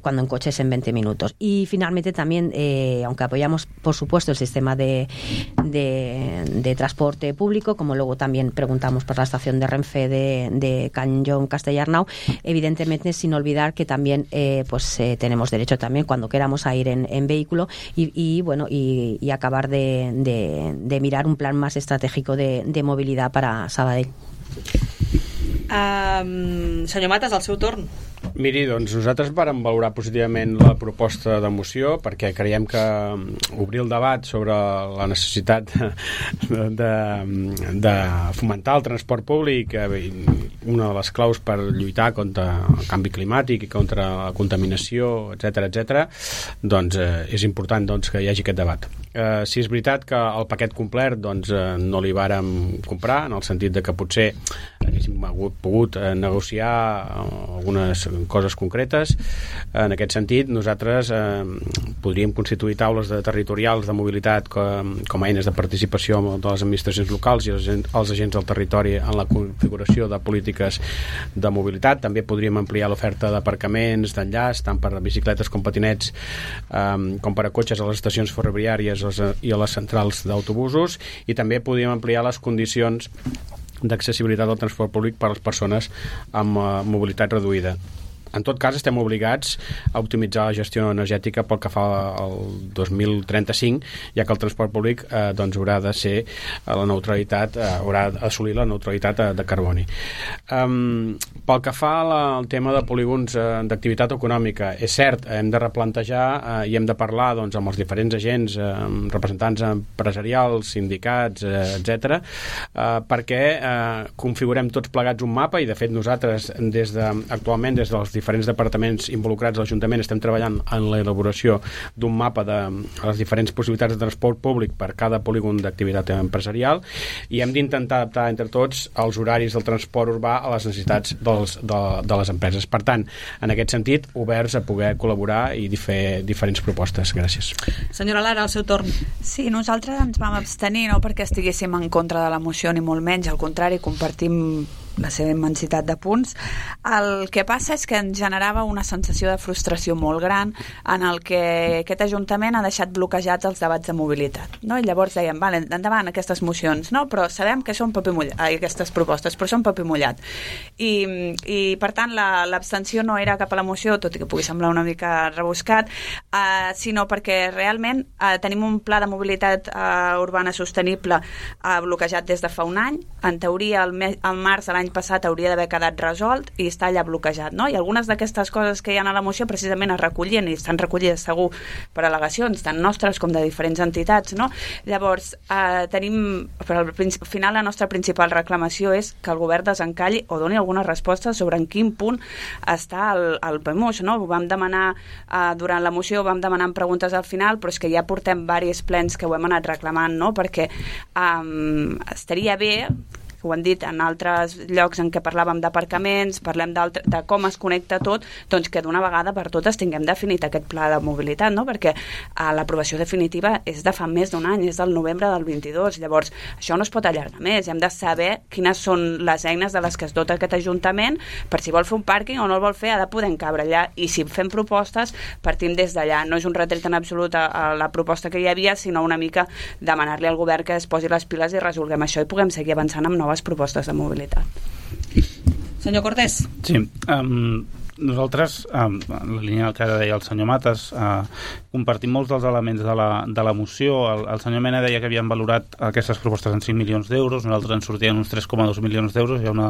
cuando en coche es en veinte minutos. Y finalmente también, eh, aunque apoyamos, por supuesto, el sistema de, de, de transporte público, como luego también preguntamos por la estación de Renfe de, de Cañón Castellarnau, evidentemente sin olvidar que también eh, pues eh, tenemos derecho también cuando queramos a ir en, en vehículo y, y bueno y, y acabar de, de, de mirar un plan más estratégico de, de movilidad para Sabadell. Um, senyor Matas, el seu torn. Miri, doncs nosaltres vàrem valorar positivament la proposta de moció perquè creiem que obrir el debat sobre la necessitat de, de, de fomentar el transport públic, una de les claus per lluitar contra el canvi climàtic i contra la contaminació, etcètera, etcètera, doncs eh, és important doncs, que hi hagi aquest debat. Eh, si és veritat que el paquet complet doncs, eh, no li vàrem comprar, en el sentit de que potser haguéssim hagut, pogut eh, negociar algunes coses concretes. En aquest sentit, nosaltres eh, podríem constituir taules de territorials de mobilitat com, com a eines de participació de les administracions locals i els, els agents del territori en la configuració de polítiques de mobilitat. També podríem ampliar l'oferta d'aparcaments, d'enllaç, tant per a bicicletes com patinets, eh, com per a cotxes a les estacions ferroviàries i a les centrals d'autobusos, i també podríem ampliar les condicions d'accessibilitat al transport públic per a les persones amb uh, mobilitat reduïda. En tot cas, estem obligats a optimitzar la gestió energètica pel que fa al dos mil trenta-cinc, ja que el transport públic eh, doncs haurà de ser la neutralitat, eh, haurà d'assolir la neutralitat eh, de carboni. Um, pel que fa la, al tema de polígons eh, d'activitat econòmica, és cert, hem de replantejar eh, i hem de parlar doncs, amb els diferents agents, eh, representants empresarials, sindicats, eh, etcètera, eh, perquè eh, configurem tots plegats un mapa, i de fet nosaltres des de, actualment des dels diferents departaments involucrats a l'Ajuntament estem treballant en la elaboració d'un mapa de les diferents possibilitats de transport públic per cada polígon d'activitat empresarial, i hem d'intentar adaptar entre tots els horaris del transport urbà a les necessitats dels, de, de les empreses. Per tant, en aquest sentit, oberts a poder col·laborar i fer diferents propostes. Gràcies. Senyora Lara, al seu torn. Sí, nosaltres ens vam abstenir, no perquè estiguéssim en contra de la moció ni molt menys, al contrari, compartim la seva immensitat de punts. El que passa és que ens generava una sensació de frustració molt gran en el que aquest Ajuntament ha deixat bloquejats els debats de mobilitat, no? I llavors dèiem, vale, endavant aquestes mocions, no? Però sabem que són paper mullat, ai, aquestes propostes, però són paper mullat. I, i per tant, l'abstenció no era cap a la moció, tot i que pugui semblar una mica rebuscat, eh, sinó perquè realment eh, tenim un pla de mobilitat eh, urbana sostenible eh, bloquejat des de fa un any. En teoria, el, me el març de l'any passat hauria d'haver quedat resolt i està allà bloquejat, no? I algunes d'aquestes coses que hi ha a la moció precisament es recollien i estan recollides segur per al·legacions, tant nostres com de diferents entitats, no? Llavors, eh, tenim, per al final la nostra principal reclamació és que el govern desencalli o doni alguna resposta sobre en quin punt està el, el P E M U S, no? Ho vam demanar eh, durant la moció, ho vam demanar en preguntes al final, però és que ja portem diversos plens que ho hem anat reclamant, no? Perquè eh, estaria bé, ho han dit en altres llocs en què parlàvem d'aparcaments, parlem de com es connecta tot, doncs que d'una vegada per totes tinguem definit aquest pla de mobilitat, no? Perquè eh, l'aprovació definitiva és de fa més d'un any, és del novembre del vint-i-dos, llavors això no es pot allargar més, hem de saber quines són les eines de les que es dota aquest Ajuntament, per si vol fer un pàrquing o no el vol fer, ha de poder encabre allà, i si fem propostes, partim des d'allà. No és un retret en absolut a, a la proposta que hi havia, sinó una mica demanar-li al govern que es posi les piles i resolguem això i puguem seguir avançant amb noves propostes de mobilitat. Senyor Cortés. Sí, um, nosaltres, um, en la línia que deia el senyor Matas, uh, compartim molts dels elements de la, de la moció. El, el senyor Mena deia que havien valorat aquestes propostes en cinc milions d'euros, nosaltres ens sortien uns tres coma dos milions d'euros, hi ha una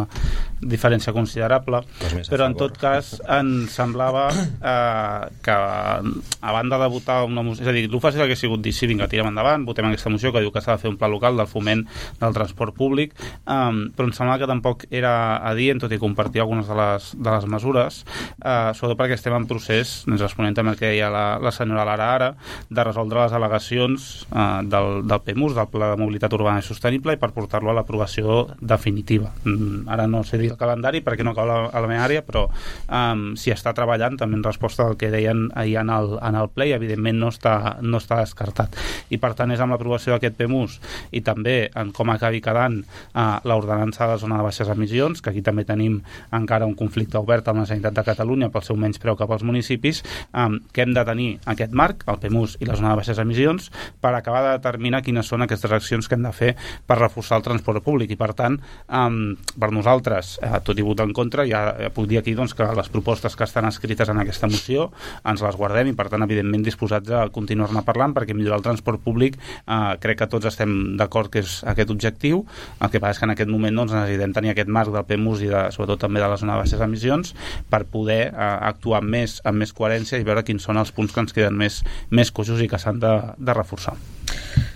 diferència considerable, però en tot cas ens semblava eh, que a banda de votar una moció, és a dir, el fàcil hauria sigut dir sí, vinga, tirem endavant, votem aquesta moció que diu que s'ha de fer un pla local del foment del transport públic, um, però em semblava que tampoc era adient, tot i compartir algunes de les, de les mesures, eh, sobretot perquè estem en procés, ens responent també el que deia la, la senyora Lara ara, de resoldre les al·legacions eh, del, del P E M U S, del Pla de Mobilitat Urbana i Sostenible, i per portar-lo a l'aprovació definitiva. Mm, ara no sé dir el calendari perquè no cau a la, a la meva àrea, però um, s'hi està treballant també en resposta al que deien ahir en el, en el ple, i evidentment no està, no està descartat. I per tant és amb l'aprovació d'aquest P E M U S i també en com acabi quedant uh, l'ordenança de la zona de baixes emissions, que aquí també tenim encara un conflicte obert amb la Generalitat de Catalunya pel seu menyspreu cap als municipis, um, que hem de tenir aquest marc, el P E M U S i la zona de baixes emissions, per acabar de determinar quines són aquestes accions que hem de fer per reforçar el transport públic. I per tant, um, per nosaltres, eh, tot i votar en contra, ja eh, puc dir aquí doncs, que les propostes que estan escrites en aquesta moció ens les guardem i per tant, evidentment, disposats a continuar-ne parlant, perquè millorar el transport públic eh, crec que tots estem d'acord que és aquest objectiu. El que passa és que en aquest moment doncs, necessitem tenir aquest marc del P E M U S i de, sobretot també de la zona de baixes emissions per poder eh, actuar amb més, amb més coherència i veure quins són els punts que ens queden més, més coixos i que s'han de, de reforçar.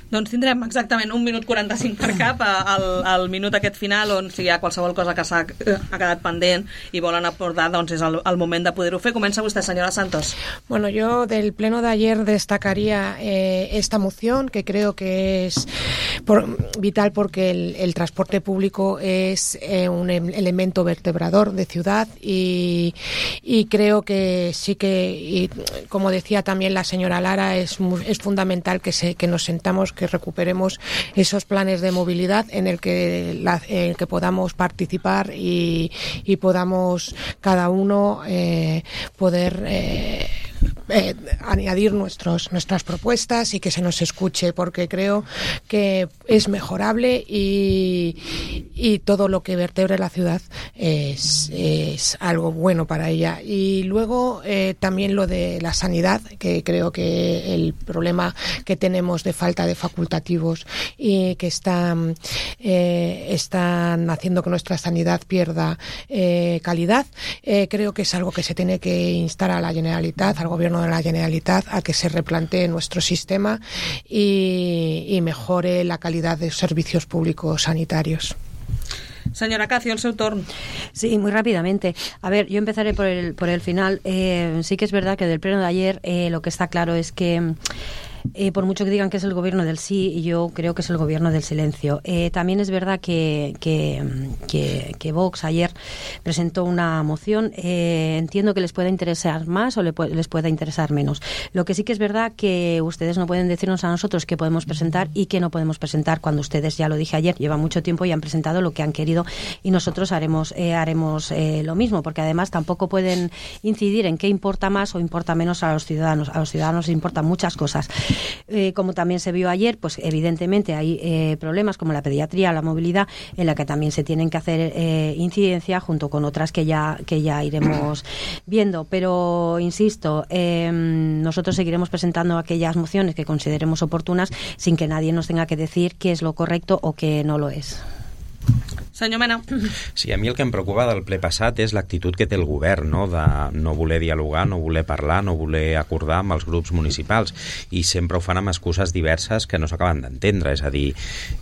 Doncs tindrem exactament un minut quaranta-cinc per cap al, al minut aquest final, on si hi ha qualsevol cosa que s'ha ha quedat pendent i volen abordar, doncs és el, el moment de poder-ho fer. Comença usted, señora Santos. Bueno, yo del pleno de ayer destacaría eh, esta moción, que creo que es por, vital porque el, el transporte público es eh, un elemento vertebrador de ciudad y, y creo que sí que, y como decía también la señora Lara, es, es fundamental que, se, que nos sentamos, que recuperemos esos planes de movilidad en el que, la, en el que podamos participar y, y podamos cada uno eh, poder eh, Eh, añadir nuestros, nuestras propuestas y que se nos escuche, porque creo que es mejorable y, y todo lo que vertebre la ciudad es, es algo bueno para ella. Y luego eh, también lo de la sanidad, que creo que el problema que tenemos de falta de facultativos y que están, eh, están haciendo que nuestra sanidad pierda eh, calidad, eh, creo que es algo que se tiene que instar a la Generalitat, al Gobierno de la Generalitat, a que se replantee nuestro sistema y, y mejore la calidad de servicios públicos sanitarios. Señora Cacio, el seu torn. Sí, muy rápidamente. A ver, yo empezaré por el, por el final. Eh, sí que es verdad que del pleno de ayer eh, lo que está claro es que Eh, por mucho que digan que es el gobierno del sí, yo creo que es el gobierno del silencio. Eh, también es verdad que, que, que, que Vox ayer presentó una moción. Eh, entiendo que les pueda interesar más o le pu- les pueda interesar menos. Lo que sí que es verdad que ustedes no pueden decirnos a nosotros qué podemos presentar y qué no podemos presentar cuando ustedes, ya lo dije ayer, llevan mucho tiempo y han presentado lo que han querido y nosotros haremos, eh, haremos eh, lo mismo, porque además tampoco pueden incidir en qué importa más o importa menos a los ciudadanos. A los ciudadanos les importan muchas cosas. Eh, como también se vio ayer, pues evidentemente hay eh, problemas como la pediatría, la movilidad, en la que también se tienen que hacer eh, incidencia junto con otras que ya que ya iremos viendo. Pero insisto, eh, nosotros seguiremos presentando aquellas mociones que consideremos oportunas sin que nadie nos tenga que decir qué es lo correcto o qué no lo es. Senyor Mena. Sí, a mi el que em preocupa del ple passat és l'actitud que té el govern, no? De no voler dialogar, no voler parlar, no voler acordar amb els grups municipals, i sempre ho fan amb excuses diverses que no s'acaben d'entendre. És a dir,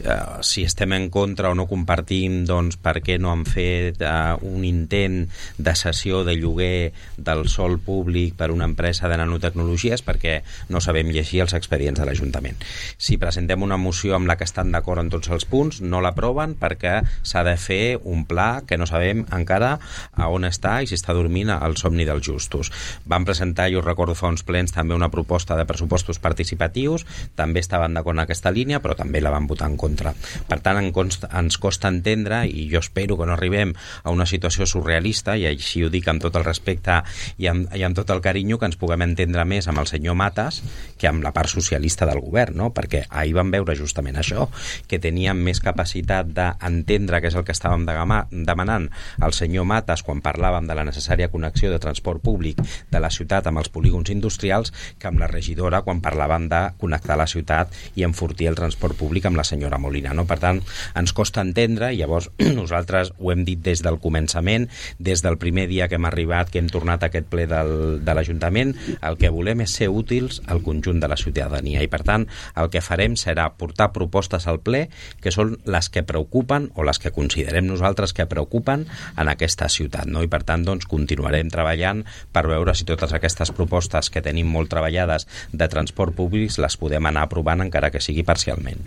eh, si estem en contra o no compartim, doncs per què no han fet eh, un intent de cessió de lloguer del sòl públic per una empresa de nanotecnologies, perquè no sabem llegir els expedients de l'Ajuntament. Si presentem una moció amb la que estan d'acord en tots els punts, no l'aproven perquè s'ha de fer un pla que no sabem encara a on està i si està dormint al somni dels justos. Van presentar, jo recordo fa uns plens, també una proposta de pressupostos participatius, també estaven d'acord en aquesta línia, però també la van votar en contra. Per tant, ens costa entendre, i jo espero que no arribem a una situació surrealista, i així ho dic amb tot el respecte i amb, i amb tot el carinyo, que ens puguem entendre més amb el senyor Matas que amb la part socialista del govern, no? Perquè ahir vam veure justament això, que teníem més capacitat d'entendre que és el que estàvem demanant el senyor Matas quan parlàvem de la necessària connexió de transport públic de la ciutat amb els polígons industrials, que amb la regidora quan parlàvem de connectar la ciutat i enfortir el transport públic amb la senyora Molina, no? Per tant, ens costa entendre, i llavors nosaltres ho hem dit des del començament, des del primer dia que hem arribat, que hem tornat a aquest ple del, de l'Ajuntament, el que volem és ser útils al conjunt de la ciutadania, i per tant el que farem serà portar propostes al ple que són les que preocupen o les que considerem nosaltres que preocupen en aquesta ciutat, no? I per tant doncs continuarem treballant per veure si totes aquestes propostes que tenim molt treballades de transport públic les podem anar aprovant, encara que sigui parcialment.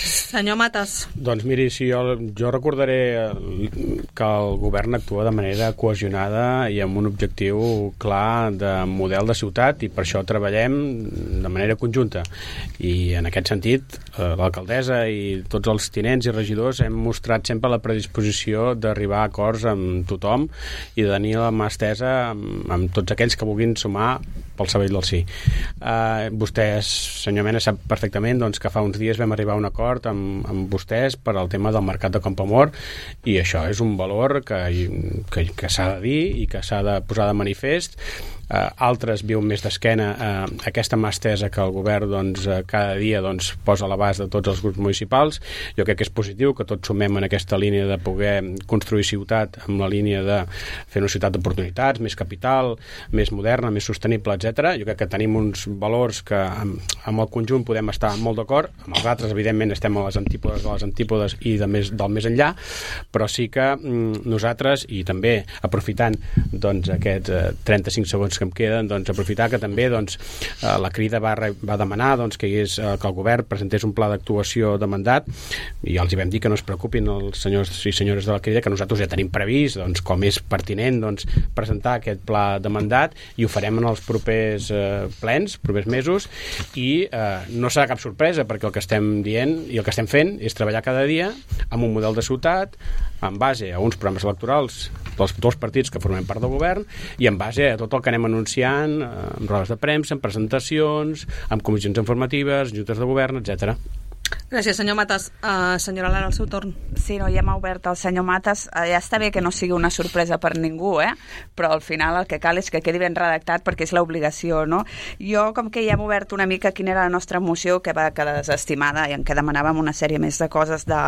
Senyor Matas. Doncs miri, si jo, jo recordaré que el govern actua de manera cohesionada i amb un objectiu clar de model de ciutat, i per això treballem de manera conjunta. I en aquest sentit, l'alcaldessa i tots els tinents i regidors hem mostrat sempre la predisposició d'arribar a acords amb tothom i de tenir la mà estesa amb, amb tots aquells que vulguin sumar pel cervell del sí. Uh, vostès, senyor Mena, sap perfectament doncs, que fa uns dies vam arribar a un acord amb, amb vostès per al tema del mercat de Campoamor, i això és un valor que, que, que s'ha de dir i que s'ha de posar de manifest. Uh, altres viuen més d'esquena uh, aquesta mà estesa que el govern doncs, uh, cada dia doncs, posa a l'abast de tots els grups municipals. Jo crec que és positiu que tots sumem en aquesta línia de poder construir ciutat amb la línia de fer una ciutat d'oportunitats, més capital, més moderna, més sostenible, etcètera. Jo crec que tenim uns valors que amb, amb el conjunt podem estar molt d'acord, amb els altres evidentment estem a les antípodes de les antípodes i de més, del més enllà, però sí que mm, nosaltres, i també aprofitant doncs, aquests eh, trenta-cinc segons que em queden, doncs, aprofitar que també doncs, eh, la Crida va, va demanar doncs, que, hi és, eh, que el govern presentés un pla d'actuació de mandat, i els hi vam dir que no es preocupin els senyors i senyores de la Crida, que nosaltres ja tenim previst, doncs, com és pertinent doncs, presentar aquest pla de mandat, i ho farem en els propers eh, plens, propers mesos, i eh, no serà cap sorpresa, perquè el que estem dient i el que estem fent és treballar cada dia amb un model de ciutat, en base a uns programes electorals dels dos partits que formem part del govern i en base a tot el que anem anunciant, amb rodes de premsa, amb presentacions, amb comissions informatives, juntes de govern, etcètera. Gràcies, senyor Matas. Uh, senyora Lara, al seu torn. Sí, no, ja m'ha obert el senyor Matas. Uh, ja està bé que no sigui una sorpresa per ningú, eh? Però al final el que cal és que quedi ben redactat perquè és l'obligació, no? Jo, com que ja hem obert una mica quina era la nostra moció, que va quedar desestimada i en què demanàvem una sèrie més de coses de,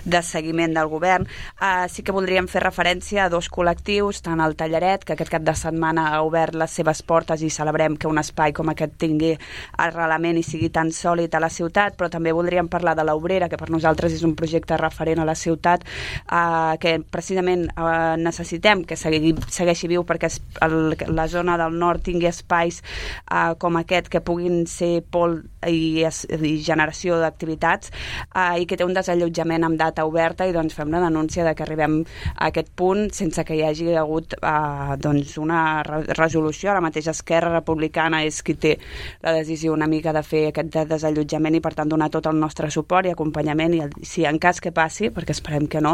de seguiment del govern, uh, sí que voldríem fer referència a dos col·lectius, tant el Tallaret, que aquest cap de setmana ha obert les seves portes i celebrem que un espai com aquest tingui arrelament i sigui tan sòlid a la ciutat, però també voldríem parlar de l'Obrera, que per nosaltres és un projecte referent a la ciutat, eh, que precisament eh, necessitem que segui, segueixi viu perquè es, el, la zona del nord tingui espais eh, com aquest que puguin ser pol i, i generació d'activitats eh, i que té un desallotjament amb data oberta, i doncs fem la denúncia de que arribem a aquest punt sense que hi hagi hagut eh, doncs una re resolució. La mateixa Esquerra Republicana és qui té la decisió una mica de fer aquest desallotjament i per tant donar tot el nostre suport i acompanyament, i el, si en cas que passi, perquè esperem que no,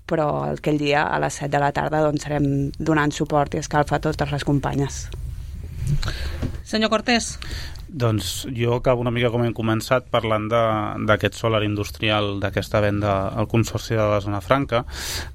però aquell dia a les set de la tarda doncs serem donant suport i escalfa a totes les companyes. Senyor Cortés. Doncs jo acabo una mica com hem començat parlant d'aquest solar industrial, d'aquesta venda al Consorci de la Zona Franca.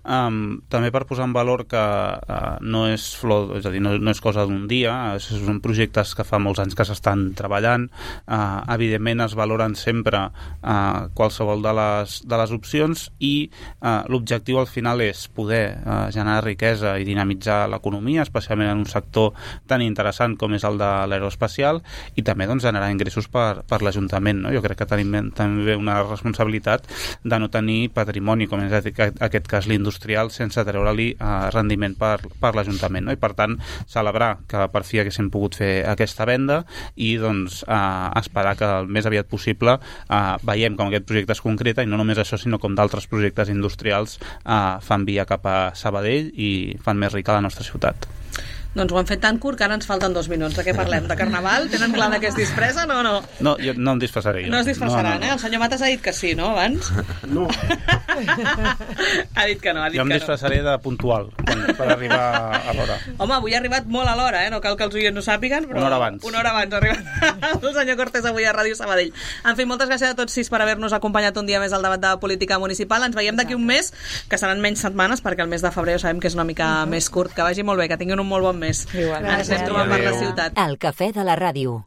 Um, també per posar en valor que uh, no és flor, és a dir, no, no és cosa d'un dia, són projectes que fa molts anys que s'estan treballant. Uh, evidentment es valoren sempre uh, qualsevol de les, de les opcions i uh, l'objectiu al final és poder uh, generar riquesa i dinamitzar l'economia, especialment en un sector tan interessant com és el de l'aeroespacial, i també doncs, generar ingressos per, per l'Ajuntament, no? Jo crec que tenim també una responsabilitat de no tenir patrimoni, com és aquest cas l'industrial, sense treure-li eh, rendiment per, per l'Ajuntament, no? I per tant celebrar que per fi haguéssim pogut fer aquesta venda i doncs eh, esperar que el més aviat possible eh, veiem com aquest projecte es concreta, i no només això sinó com d'altres projectes industrials eh, fan via cap a Sabadell i fan més rica la nostra ciutat. Doncs ho hem fet tan curt que ara ens falten dos minuts. De què parlem? De Carnaval? Tenen clar de què es disfressa o no? No, jo no em disfressaré. Jo. No es disfressaran, no, no, no. Eh? El senyor Matas ha dit que sí, no, abans? No. Ha dit que no, ha dit jo em que disfressaré no. de puntual, per arribar a l'hora. Home, avui ha arribat molt a l'hora, eh? No cal que els oients ho sàpiguen, però... Una hora abans. Una hora abans ha arribat el senyor Cortés avui a Ràdio Sabadell. En fi, moltes gràcies a tots sis per haver-nos acompanyat un dia més al debat de política municipal. Ens veiem d'aquí un mes, que seran menys setmanes, perquè el mes de febrer sabem que és una mica uh -huh. més curt. Que vagi molt bé, que tinguin un molt bon mes. Igual. Ens estem trobant per la ciutat. El cafè de la ràdio.